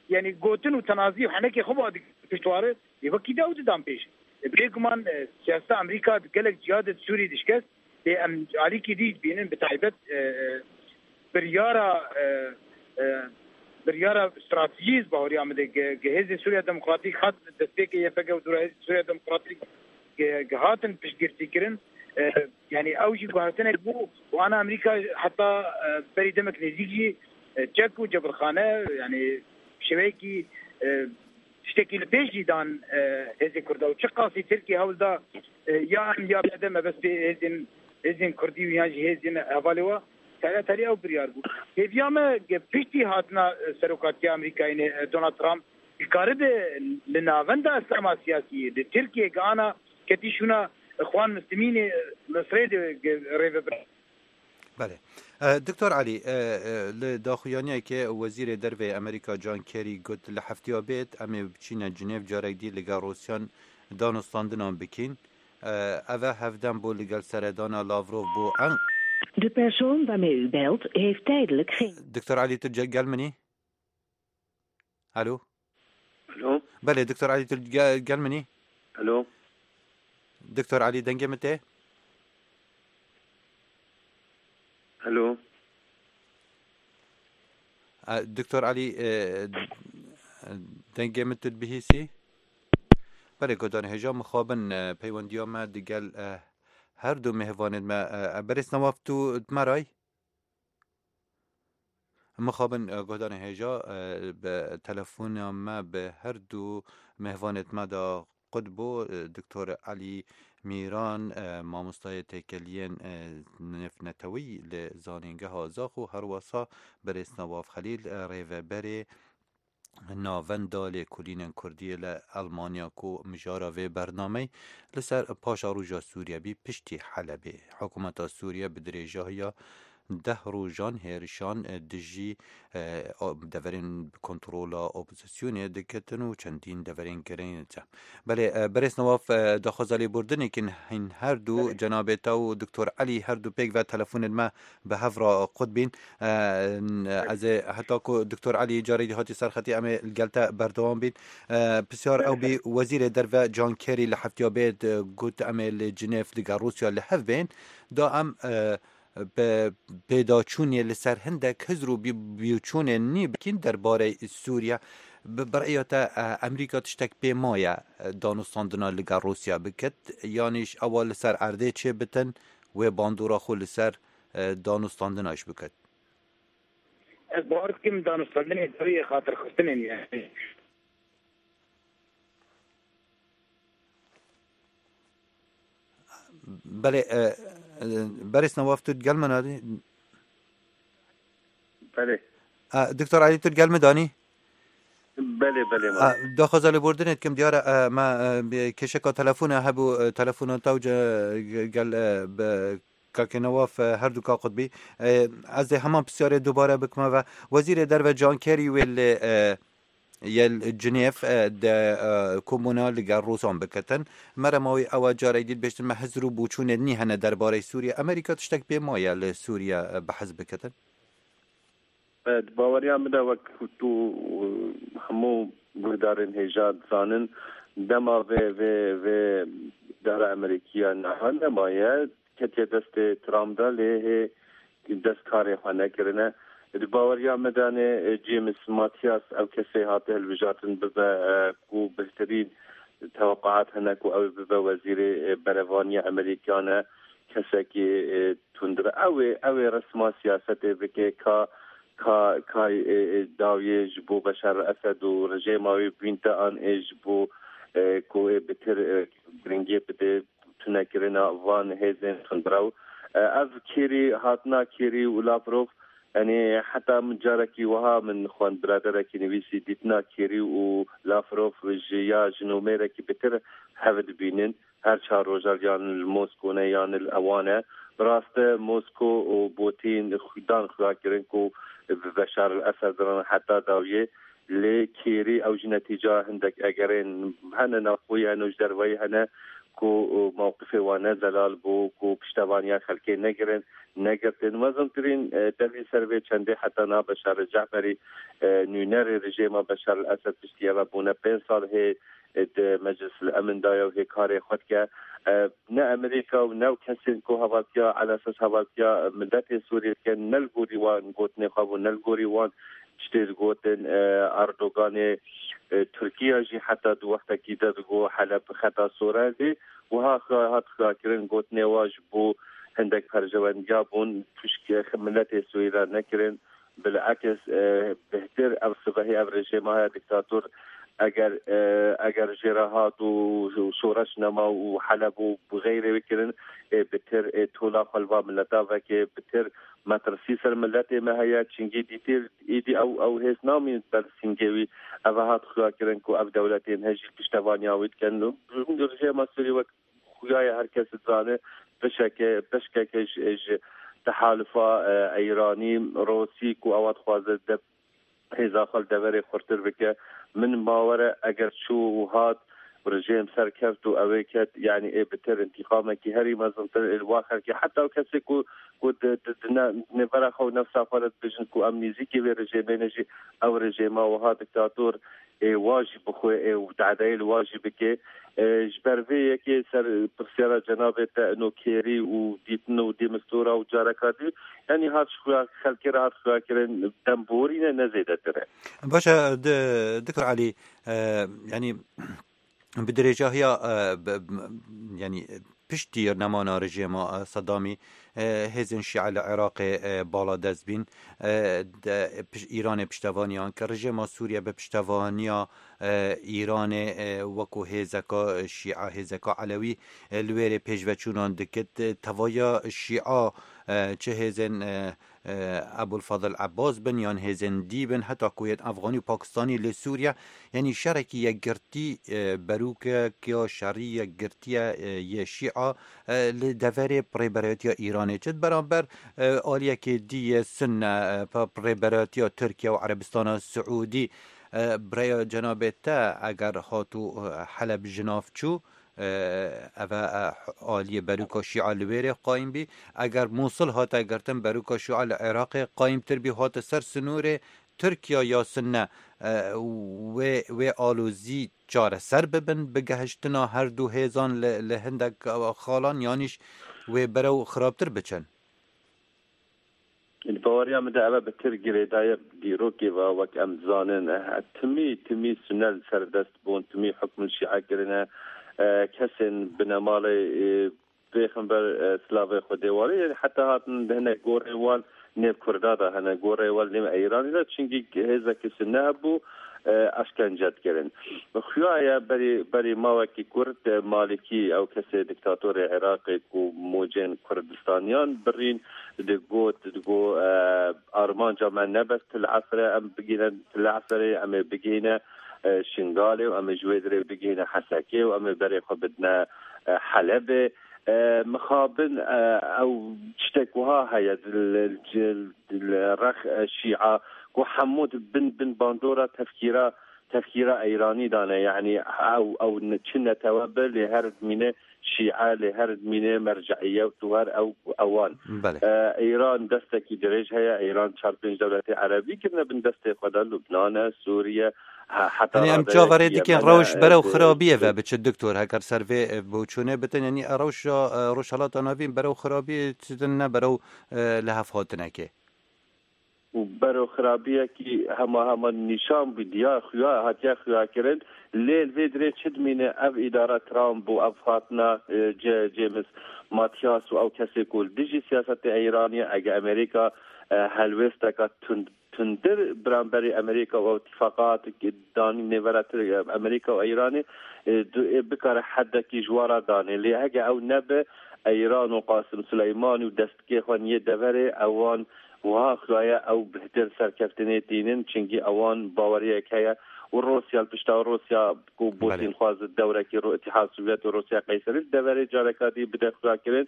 yanî gotin û tenazî û henekê xwe ba dikir piştware, ê wekî de ew didan pêş. E, bêguman, e, siyaseta Amerîka di gelek ciya de di Sûrî dişkest, lê em alîkî dî dibînin, bi taybet, e, e, biryara, e, e, biryara stratejî ji bahoriya min de ge-, ge hêzê Sûriya Demokratîk hat destpêkê Y P G û dûra hêzê Sûriya Demokratîk ge-, ge hatin piştgirtî kirin. E, yanî ew jî guhertinek bû û ana Amerîka heta, e, berî demek nêzîk jî, e, çek û cebilxane, yanî şêweyekî, e, tiştekî li pêş jî dan, e, hêzê Kurda û çiqasî Tirkiye hewl da, e, ya em ya bide mebestê hêzên, hêzên Kurdî û yan jî hêzên hevalê we, tele telê ew biryar bû. Hêviya me ge piştî hatina, e, serokatiya Amerîkayê ne, e, Donald Trump, dikaribe li navenda Îslama siyasî yê di Tirkiyê ge ana ketî şûna Ixwan Muslimînê, e, Misrê de ge rê ve bire. Belê. E, Doktor Elî, e, e, li daxuyaniyekê Wezîrê Derve yê Amerîka John Kerry got, li hefteya bêt em ê biçîne Cinêv carek dî li gel Rûsyan danûstandinan bikîn. E, ev e hevdem bû li gel seredana Lavrov bû en- De persoon waarmee u belt heeft tijdelijk geen Doktor Elî, tu ce-, gel min î? Alo? Alo? Belê, Doktor Elî, tu ge-, gel min î? Alo? Doktor Elî, dengê min tê? Alo? E, Doktor Elî, e, dengê min tu dibihîsî? Belê, guhdarên hêja, mixabin, e, peywendiya me digel, e, her du mêvanên me, e, e, berêz Newaf, tu di me re yî? Mixabin, e, guhdarên hêja, e, bi telefona me bi her du mêvanêt me de qut bû, e, Doktor Elî Mîran, e, mamostayê têkeliyên, e, nêvnetewî li Zanîngeha Zaxo, her wesa berêz Newaf Xelîl, e, rêveberê Navenda Lêkolînên Kurdî li Elmanya ku mijara vê bernameyê li ser paşeroja Sûriye bî piştî Helebê. Hikûmeta Sûriye bi dirêjahiya deh rojan hêrişan, e, dijî, e, o-, deverên bi kontrola opozîsyonê diketin û çendîn deverên girên de. Belê, e, berêz Newaf, e, daxwaza lêbûrdinê kin hîn her du, Belê. cenabê te û Doktor Elî her du pêk ve telefonên me bi hev re qut bîn. E, n-, Belê. ez ê heta ku Doktor Elî carê dî hatî ser xetî, em ê li gel te berdewam bîn. E, pisyar ew bî, Wezîrê Derve John Kerry li heftiya bê di got, em ê li Cinêv digel Rûsya li hev bên. Da em, e, bi pêdaçûnê li ser hindek hizr û bî-, bîçûnên nî bikîn derbarê Sûriye. Bi, bi rêya te, e, Amerîka tiştek pê maye, e, danûstandina li gel Rûsya bikit, yanî ji ewa li ser erdê çê bitin, wê bandora xwe li ser, e, danûstandina ji bikit? Ez bawer dikim danûstandinê dawiyê xatirxistinên, yani. Belê, e, e, berêz Newaf, tu digel me nadî? Belê. E, Doktor Elî, tu digel me danî? Belê, belê, A, belê. daxwaza lêbûrdinê dikim, diyar e, me, e, bi kêşeka telefona hebû, e, telefona te û ce-, ge-, gel, e, bi Kakê Newaf, e, her du ka qutbî. E, ez ê heman pisyarê dubare bikime ve. Wezîrê Derve John Kerry wê li, e, yel Cinêv, e, de, e, komûna li gel Rûsan biketin. Merema wî ew e, carek dî dibêjtin, me hizr û boçûnê nî hene derbarê Sûriye. Amerîka tiştek pê maye li Sûriye, e, behs biketin? E, di baweriya min de, wek tu û hemû guhdarên hêja dizanin, dema vê, vê, vê dara Amerîkiya niha nemaye, ketiye destê Trump de, lê hê dest karê xwe nekirine. Di baweriya me de ne, e, James Mathias, ew kesê hate hilbijartin bibe, e, ku bihtirîn teweqaat hene ku ew bibe wezîrê, e, berevaniya Amerîkan e, kesekî, e, tundre. Ew ê, ew ê resma siyasetê bike ka, ka, ka, e, e, dawiyê ji bo Beşar el-Esed û rejêma wê bînte an ê ji bo, e, ku ê bitir, e, giringiyê bide tunekirina van hêzên tundrew. E, ev Kêrî, hatina Kêrî û Lavrov, yani heta min carekî wiha min xwend, biraderekî nivîsî, dîtina Kêrî û Lavrov ji ya jin û mêrekî bitir hev dibînin. Her çar roja yan li Mosko ne yan li ewan e. Bi rast e, Mosko û Putin dan xuya kirin ku bi Beşar el-Esed re heta dawiyê. Lê Kêrî ew jî netîca hindek egerên hene navxweyî hene û ji derveyî hene ku mewqifê wan ne zelal bû, ku piştevaniya xelkê negirin, negirtin. Mezintirîn, e, delîl ser vê çendê heta niha Beşar Ceferî, e, nûnerê rejêma Beşar el-Esed piştî eve bûne pênc sal hê, e, di Meclis el-Emin de ye û hê karê xwe dike. E, ne Amerîka û ne ew kesên ku hevaltiya, elesas hevaltiya miletê Sûriyê dikin, ne li gorî wan gotinê xwe bû, ne li gorî wan tiştê digotin, e, Erdoganê, e, Tirkiye jî heta di wextekî de digot Heleb xeta sor e, lê wiha xwe hat xuyakirin, gotinê wa ji bo hindek perjewendiya bûn pişk miletê Sûrî re nekirin. Bilakis, e, bêhtir ev sibehê ev rejêma heye diktator eger, e, eger jê re hat û, û şoreş nema û Heleb û bi xeyrê wê kirin, ê bitir, ê tola xwe li va mileta veke, bitir metirsî ser miletê me heye, çingî dîtir, êdî ew, ew hêz namîn ber singê wî. Ev hat xuya kirin ku ev dewletên hejî piştevaniya wî dikin. Rejêma Sûrî wek xuya ye, her kes dizane, pişeke, pişkeke ji, ji tehalufa, e, Eyranî, Rosî ku ewa dixwaze de hêza xwe li deverê xurtir bike. Min bawer e, eger çû û hat, rejêm serkeft û ew ê ket, yanî ê bi tir întîqamekî herî mezintir ê li wa xelkê, heta ew kesê ku, ku di, di, di ne-, nêvera xwe û nefsa xwe re dibêjin ku em nêzîkî vê rejêmê ne jî, ew rejêma wiha diktator ê wa jî bixwe, ê û dadeyê li wa jî bike. E, ji ber vê yekê ser pirsyara cenabê te ino kêrî û dîtin û dêmistora û careka dî, yanî hat ji xuya xelkê re hat xuya kirin, dem borîne ne zêdetir e. Baş e, di-, Doktor Elî, e, yanî bi dirêjahiya, e, b-, b-, yanî piştî nemana rejêma, e, Sedamî, e, hêzên Şîe li Iraqê, e, bala dest bîn, e, de, piş-, Îranê piştevaniyan kir. Rejêma Sûriye bi piştevaniya, e, Îranê, e, wekû hêzeka Şîe, hêzeka Elewî, e, li wêrê pêşveçûnan dikit. E, tevaya Şîa, e, çi hêzên, e, e, Ebul Fadil Abbas bin yan hêzên dî bin, heta ku yên Efxanî û Pakistanî li Sûriye, yanî şerekî yekgirtî, e, berûkek ya şerî yekgirtiye, e, yê Şîa, e, li deverê rêberayetiya Îran Nêçit beramber, e, aliyekê dî yê Sunne, e, pa-, rêberatiya Tirkiye û Erebistana Siûdî, e, bi rêya cenabê te eger hat û, e, Heleb ji nav çû, e, eve, e, aliyê berûka Şîa li wêrê qayîm bî. Eger Mûsil hate girtin, berûka Şîa li Iraqê qayîmtir bî, hate ser sinûrê Tirkiye ya Sunne, e, wê, wê alozî çareser bibin, bi gehiştina her du hêzan li, li hindek xalan yanîş wê berew xirabtir biçin? Li baweriya min de eve bi tir girêdaye dîrokê ve, wek em dizanin, eh, timî, timî Sunne li ser dest bûn, timî hukm li Şîa kirine, eh, kesên binemalê, eh, pêxember, eh, silavê Xwedê warê, heta hatin di hinek gorê wan nêv Kurda de hene, gorê wan nêv Eyranî de, çinkî hêzekî Sunne hebû, e, eşkence dikirin. Xuya ye berî, berî mawekî kurt, e, Malîkî, ew kesê diktatorê Iraqê ku mûcên Kurdistaniyan birîn, digot, digot, e, armanca me ne bes Til Efir e, em bigihîne Til Eferê, em ê bigihîne, e, Şingalê û em ê ji wê dirê bigihîne Hesekê û em ê berê xwe bidine, e, Helebê. E, mixabin, e, ew tiştek wiha heye, li, li, li rex, e, Şîa, ku hemû di bin, bin bandora tefkîra, tefkîra Eyranî dane. Yanî ew, ew ne, çi netewe be, lê her dimîne Şîa, lê her dimîne merceiyet û her ew, ewan. Belê. E, Eyran destekî dirêj heye, Eyran çar pênc dewletê Erebî kirine bin destê xwe de, Lubnan e, Sûriye, he-, heta Yanî em çaverê dikin rewş berew xirabiyê ve biçe, doktor, heger ser vê, e, boçûnê bitin, yanî rewşa, e, Rojhelata Navîn berew xirabiyê çitin ne berew, e, lihevhatinekê. Û berew xirabiyekî hema hema nîşan bû, diyar xuya, hatiye xuya kirin. Lê li vê dirê çi dimîne ev îdara Trump û ev hatina, e, Ce-, James Mathias û ew kesê ku li dijî siyasetê Îranê, ege Amerîka, e, helwêsteka tund tundir beramberî Amerîka û îtîfaqat danî nêvera Tir-, Amerîka û Îranê, e, du-, ê bikare hedekî ji wan re danê. Lê heke ew nebe, Îran û Qasim Suleymanî û destkê xwe niyê deverê, ewan wiha xuyaye ew bihtir serkeftinê tînin, çinkî ewan baweriyek heye û Rûsya li pişta Rûsya ku Belê. Putin xwazit dewrekî Rû-, Îtîhad Sovyet û Rûsya qeyserî li deverê careka dî bide xuyakirin.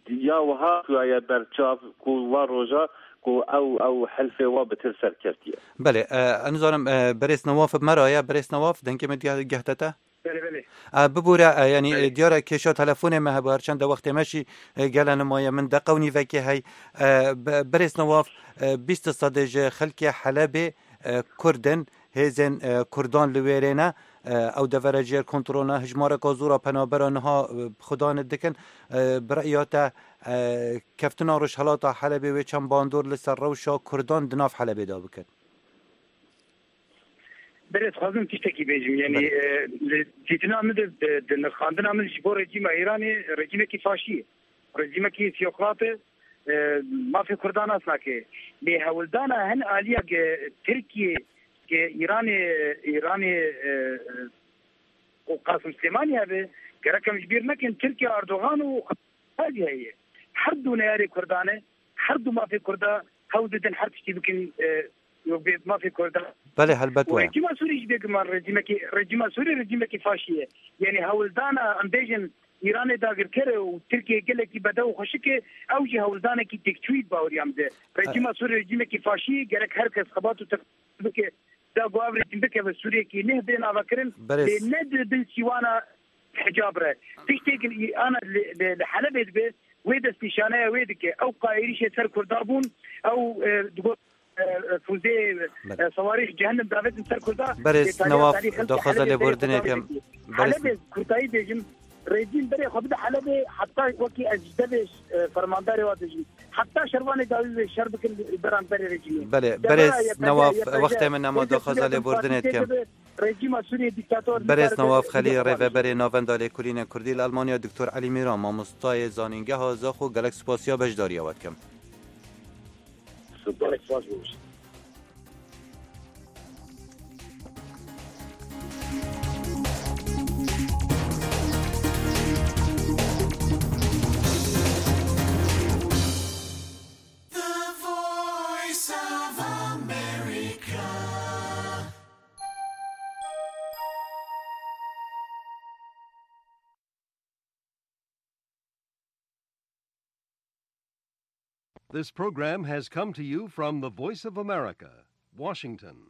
Ya wiha xuyaye berçav ku van roja ku ew, ew helfê wa bi tir serkeftiye. Belê, e, ez nizanim, e, berêz Newaf bi me re ye, berêz Newaf, dengê me diya-, gehte te? Belê, belê. E, bibûre, e, yanî, Belê. e, diyar e kêşa telefonê me hebû, her çend de wextê me jî, e, gele nimaye, min deqe û nîvekê hey. E, be-, berêz Newaf, e, bîst sedê ji xelkê Helebê, e, Kurd in, hêzên, e, Kurdan li wêrê ne, e, ew devera jêr kontrol ne, hijmareka zora penabera niha, e, xudan dikin, e, bi reya te, e, keftina Rojhelata Helebê wê çend bandor li ser rewşa Kurdan di nav Helebê de bikin? Berê, dixwazim tiştekî bêjim. Yanî, Belê. e, li dîtina min de, di, di nirxandina min ji bo rejîma Îranê, rejîmekî faşî ye. Rejîmekî teokrat e, e, mafê Kurdan nas nake. Lê hewldana hin aliyek, e, Tirkiye, ke Îranê, Îranê, e, e, û Qasim Silêmanî hebe, gerek em ji bîr nekin, Tirkiye, Erdogan û Xalî heye. Her du neyarê Kurdan e, her du mafê Kurda hewl didin her tiştî bikin, e, bê mafê Kurda. Belê, helbet Û were. Rejîma Sûrî jî bêguman rejîmekî, rejîma Sûrî rejîmekî faşî ye. Yanî hewldana, em bêjin, Îranê dagirker e û Tirkiye gelekî bedew û xweşik e, ew jî hewldanekî têkçûyî di baweriya min de. Rejîma Sûrî rejîmekî faşî ye, gerek her kes xebat û teqdîr bike, da ku ev rejîm bikeve Sûriyekî neh bê navekirin, Berêz. lê ne di bin sîwana hicab re. Tiştêk li, ana li, li, li Helebê dibe, wê destnîşaneya wê dike. Ew ka êrîşê ser Kurda bûn, ew, e, digot, e, e, fûzê, Belê. e, sewarî ji cehennem davetin ser Kurda. Berêz Lê tariha Newaf, tarîx xelkê daxwaza Helebê lêborînê berê xwe kim. davet kiriye. Berêz. Helebê, kurtayî bêjim, rejîm berê xwe bide Helebê, heta wekî ez ji devê, e, fermandarê wa dibêjim. Heta şervanê dawî wê şer bikin beramberê rejîmê. Belê, Devera berêz Y P G, Newaf, Y P G, wextê min nema, H D P daxwaza lêborînê dikim. Rejîma Sûriyê dîktator Berêz nikarin Newaf Xelî, rêveberê Navenda Lêkolînê Kurdî li Almanya, Doktor Elî Mîran, mamostayê zanîngeha Zaxo, gelek spasiya beşdariya we dikim. Spas. Gelek spas bû. The Voice of America. This program has come to you from the Voice of America, Washington.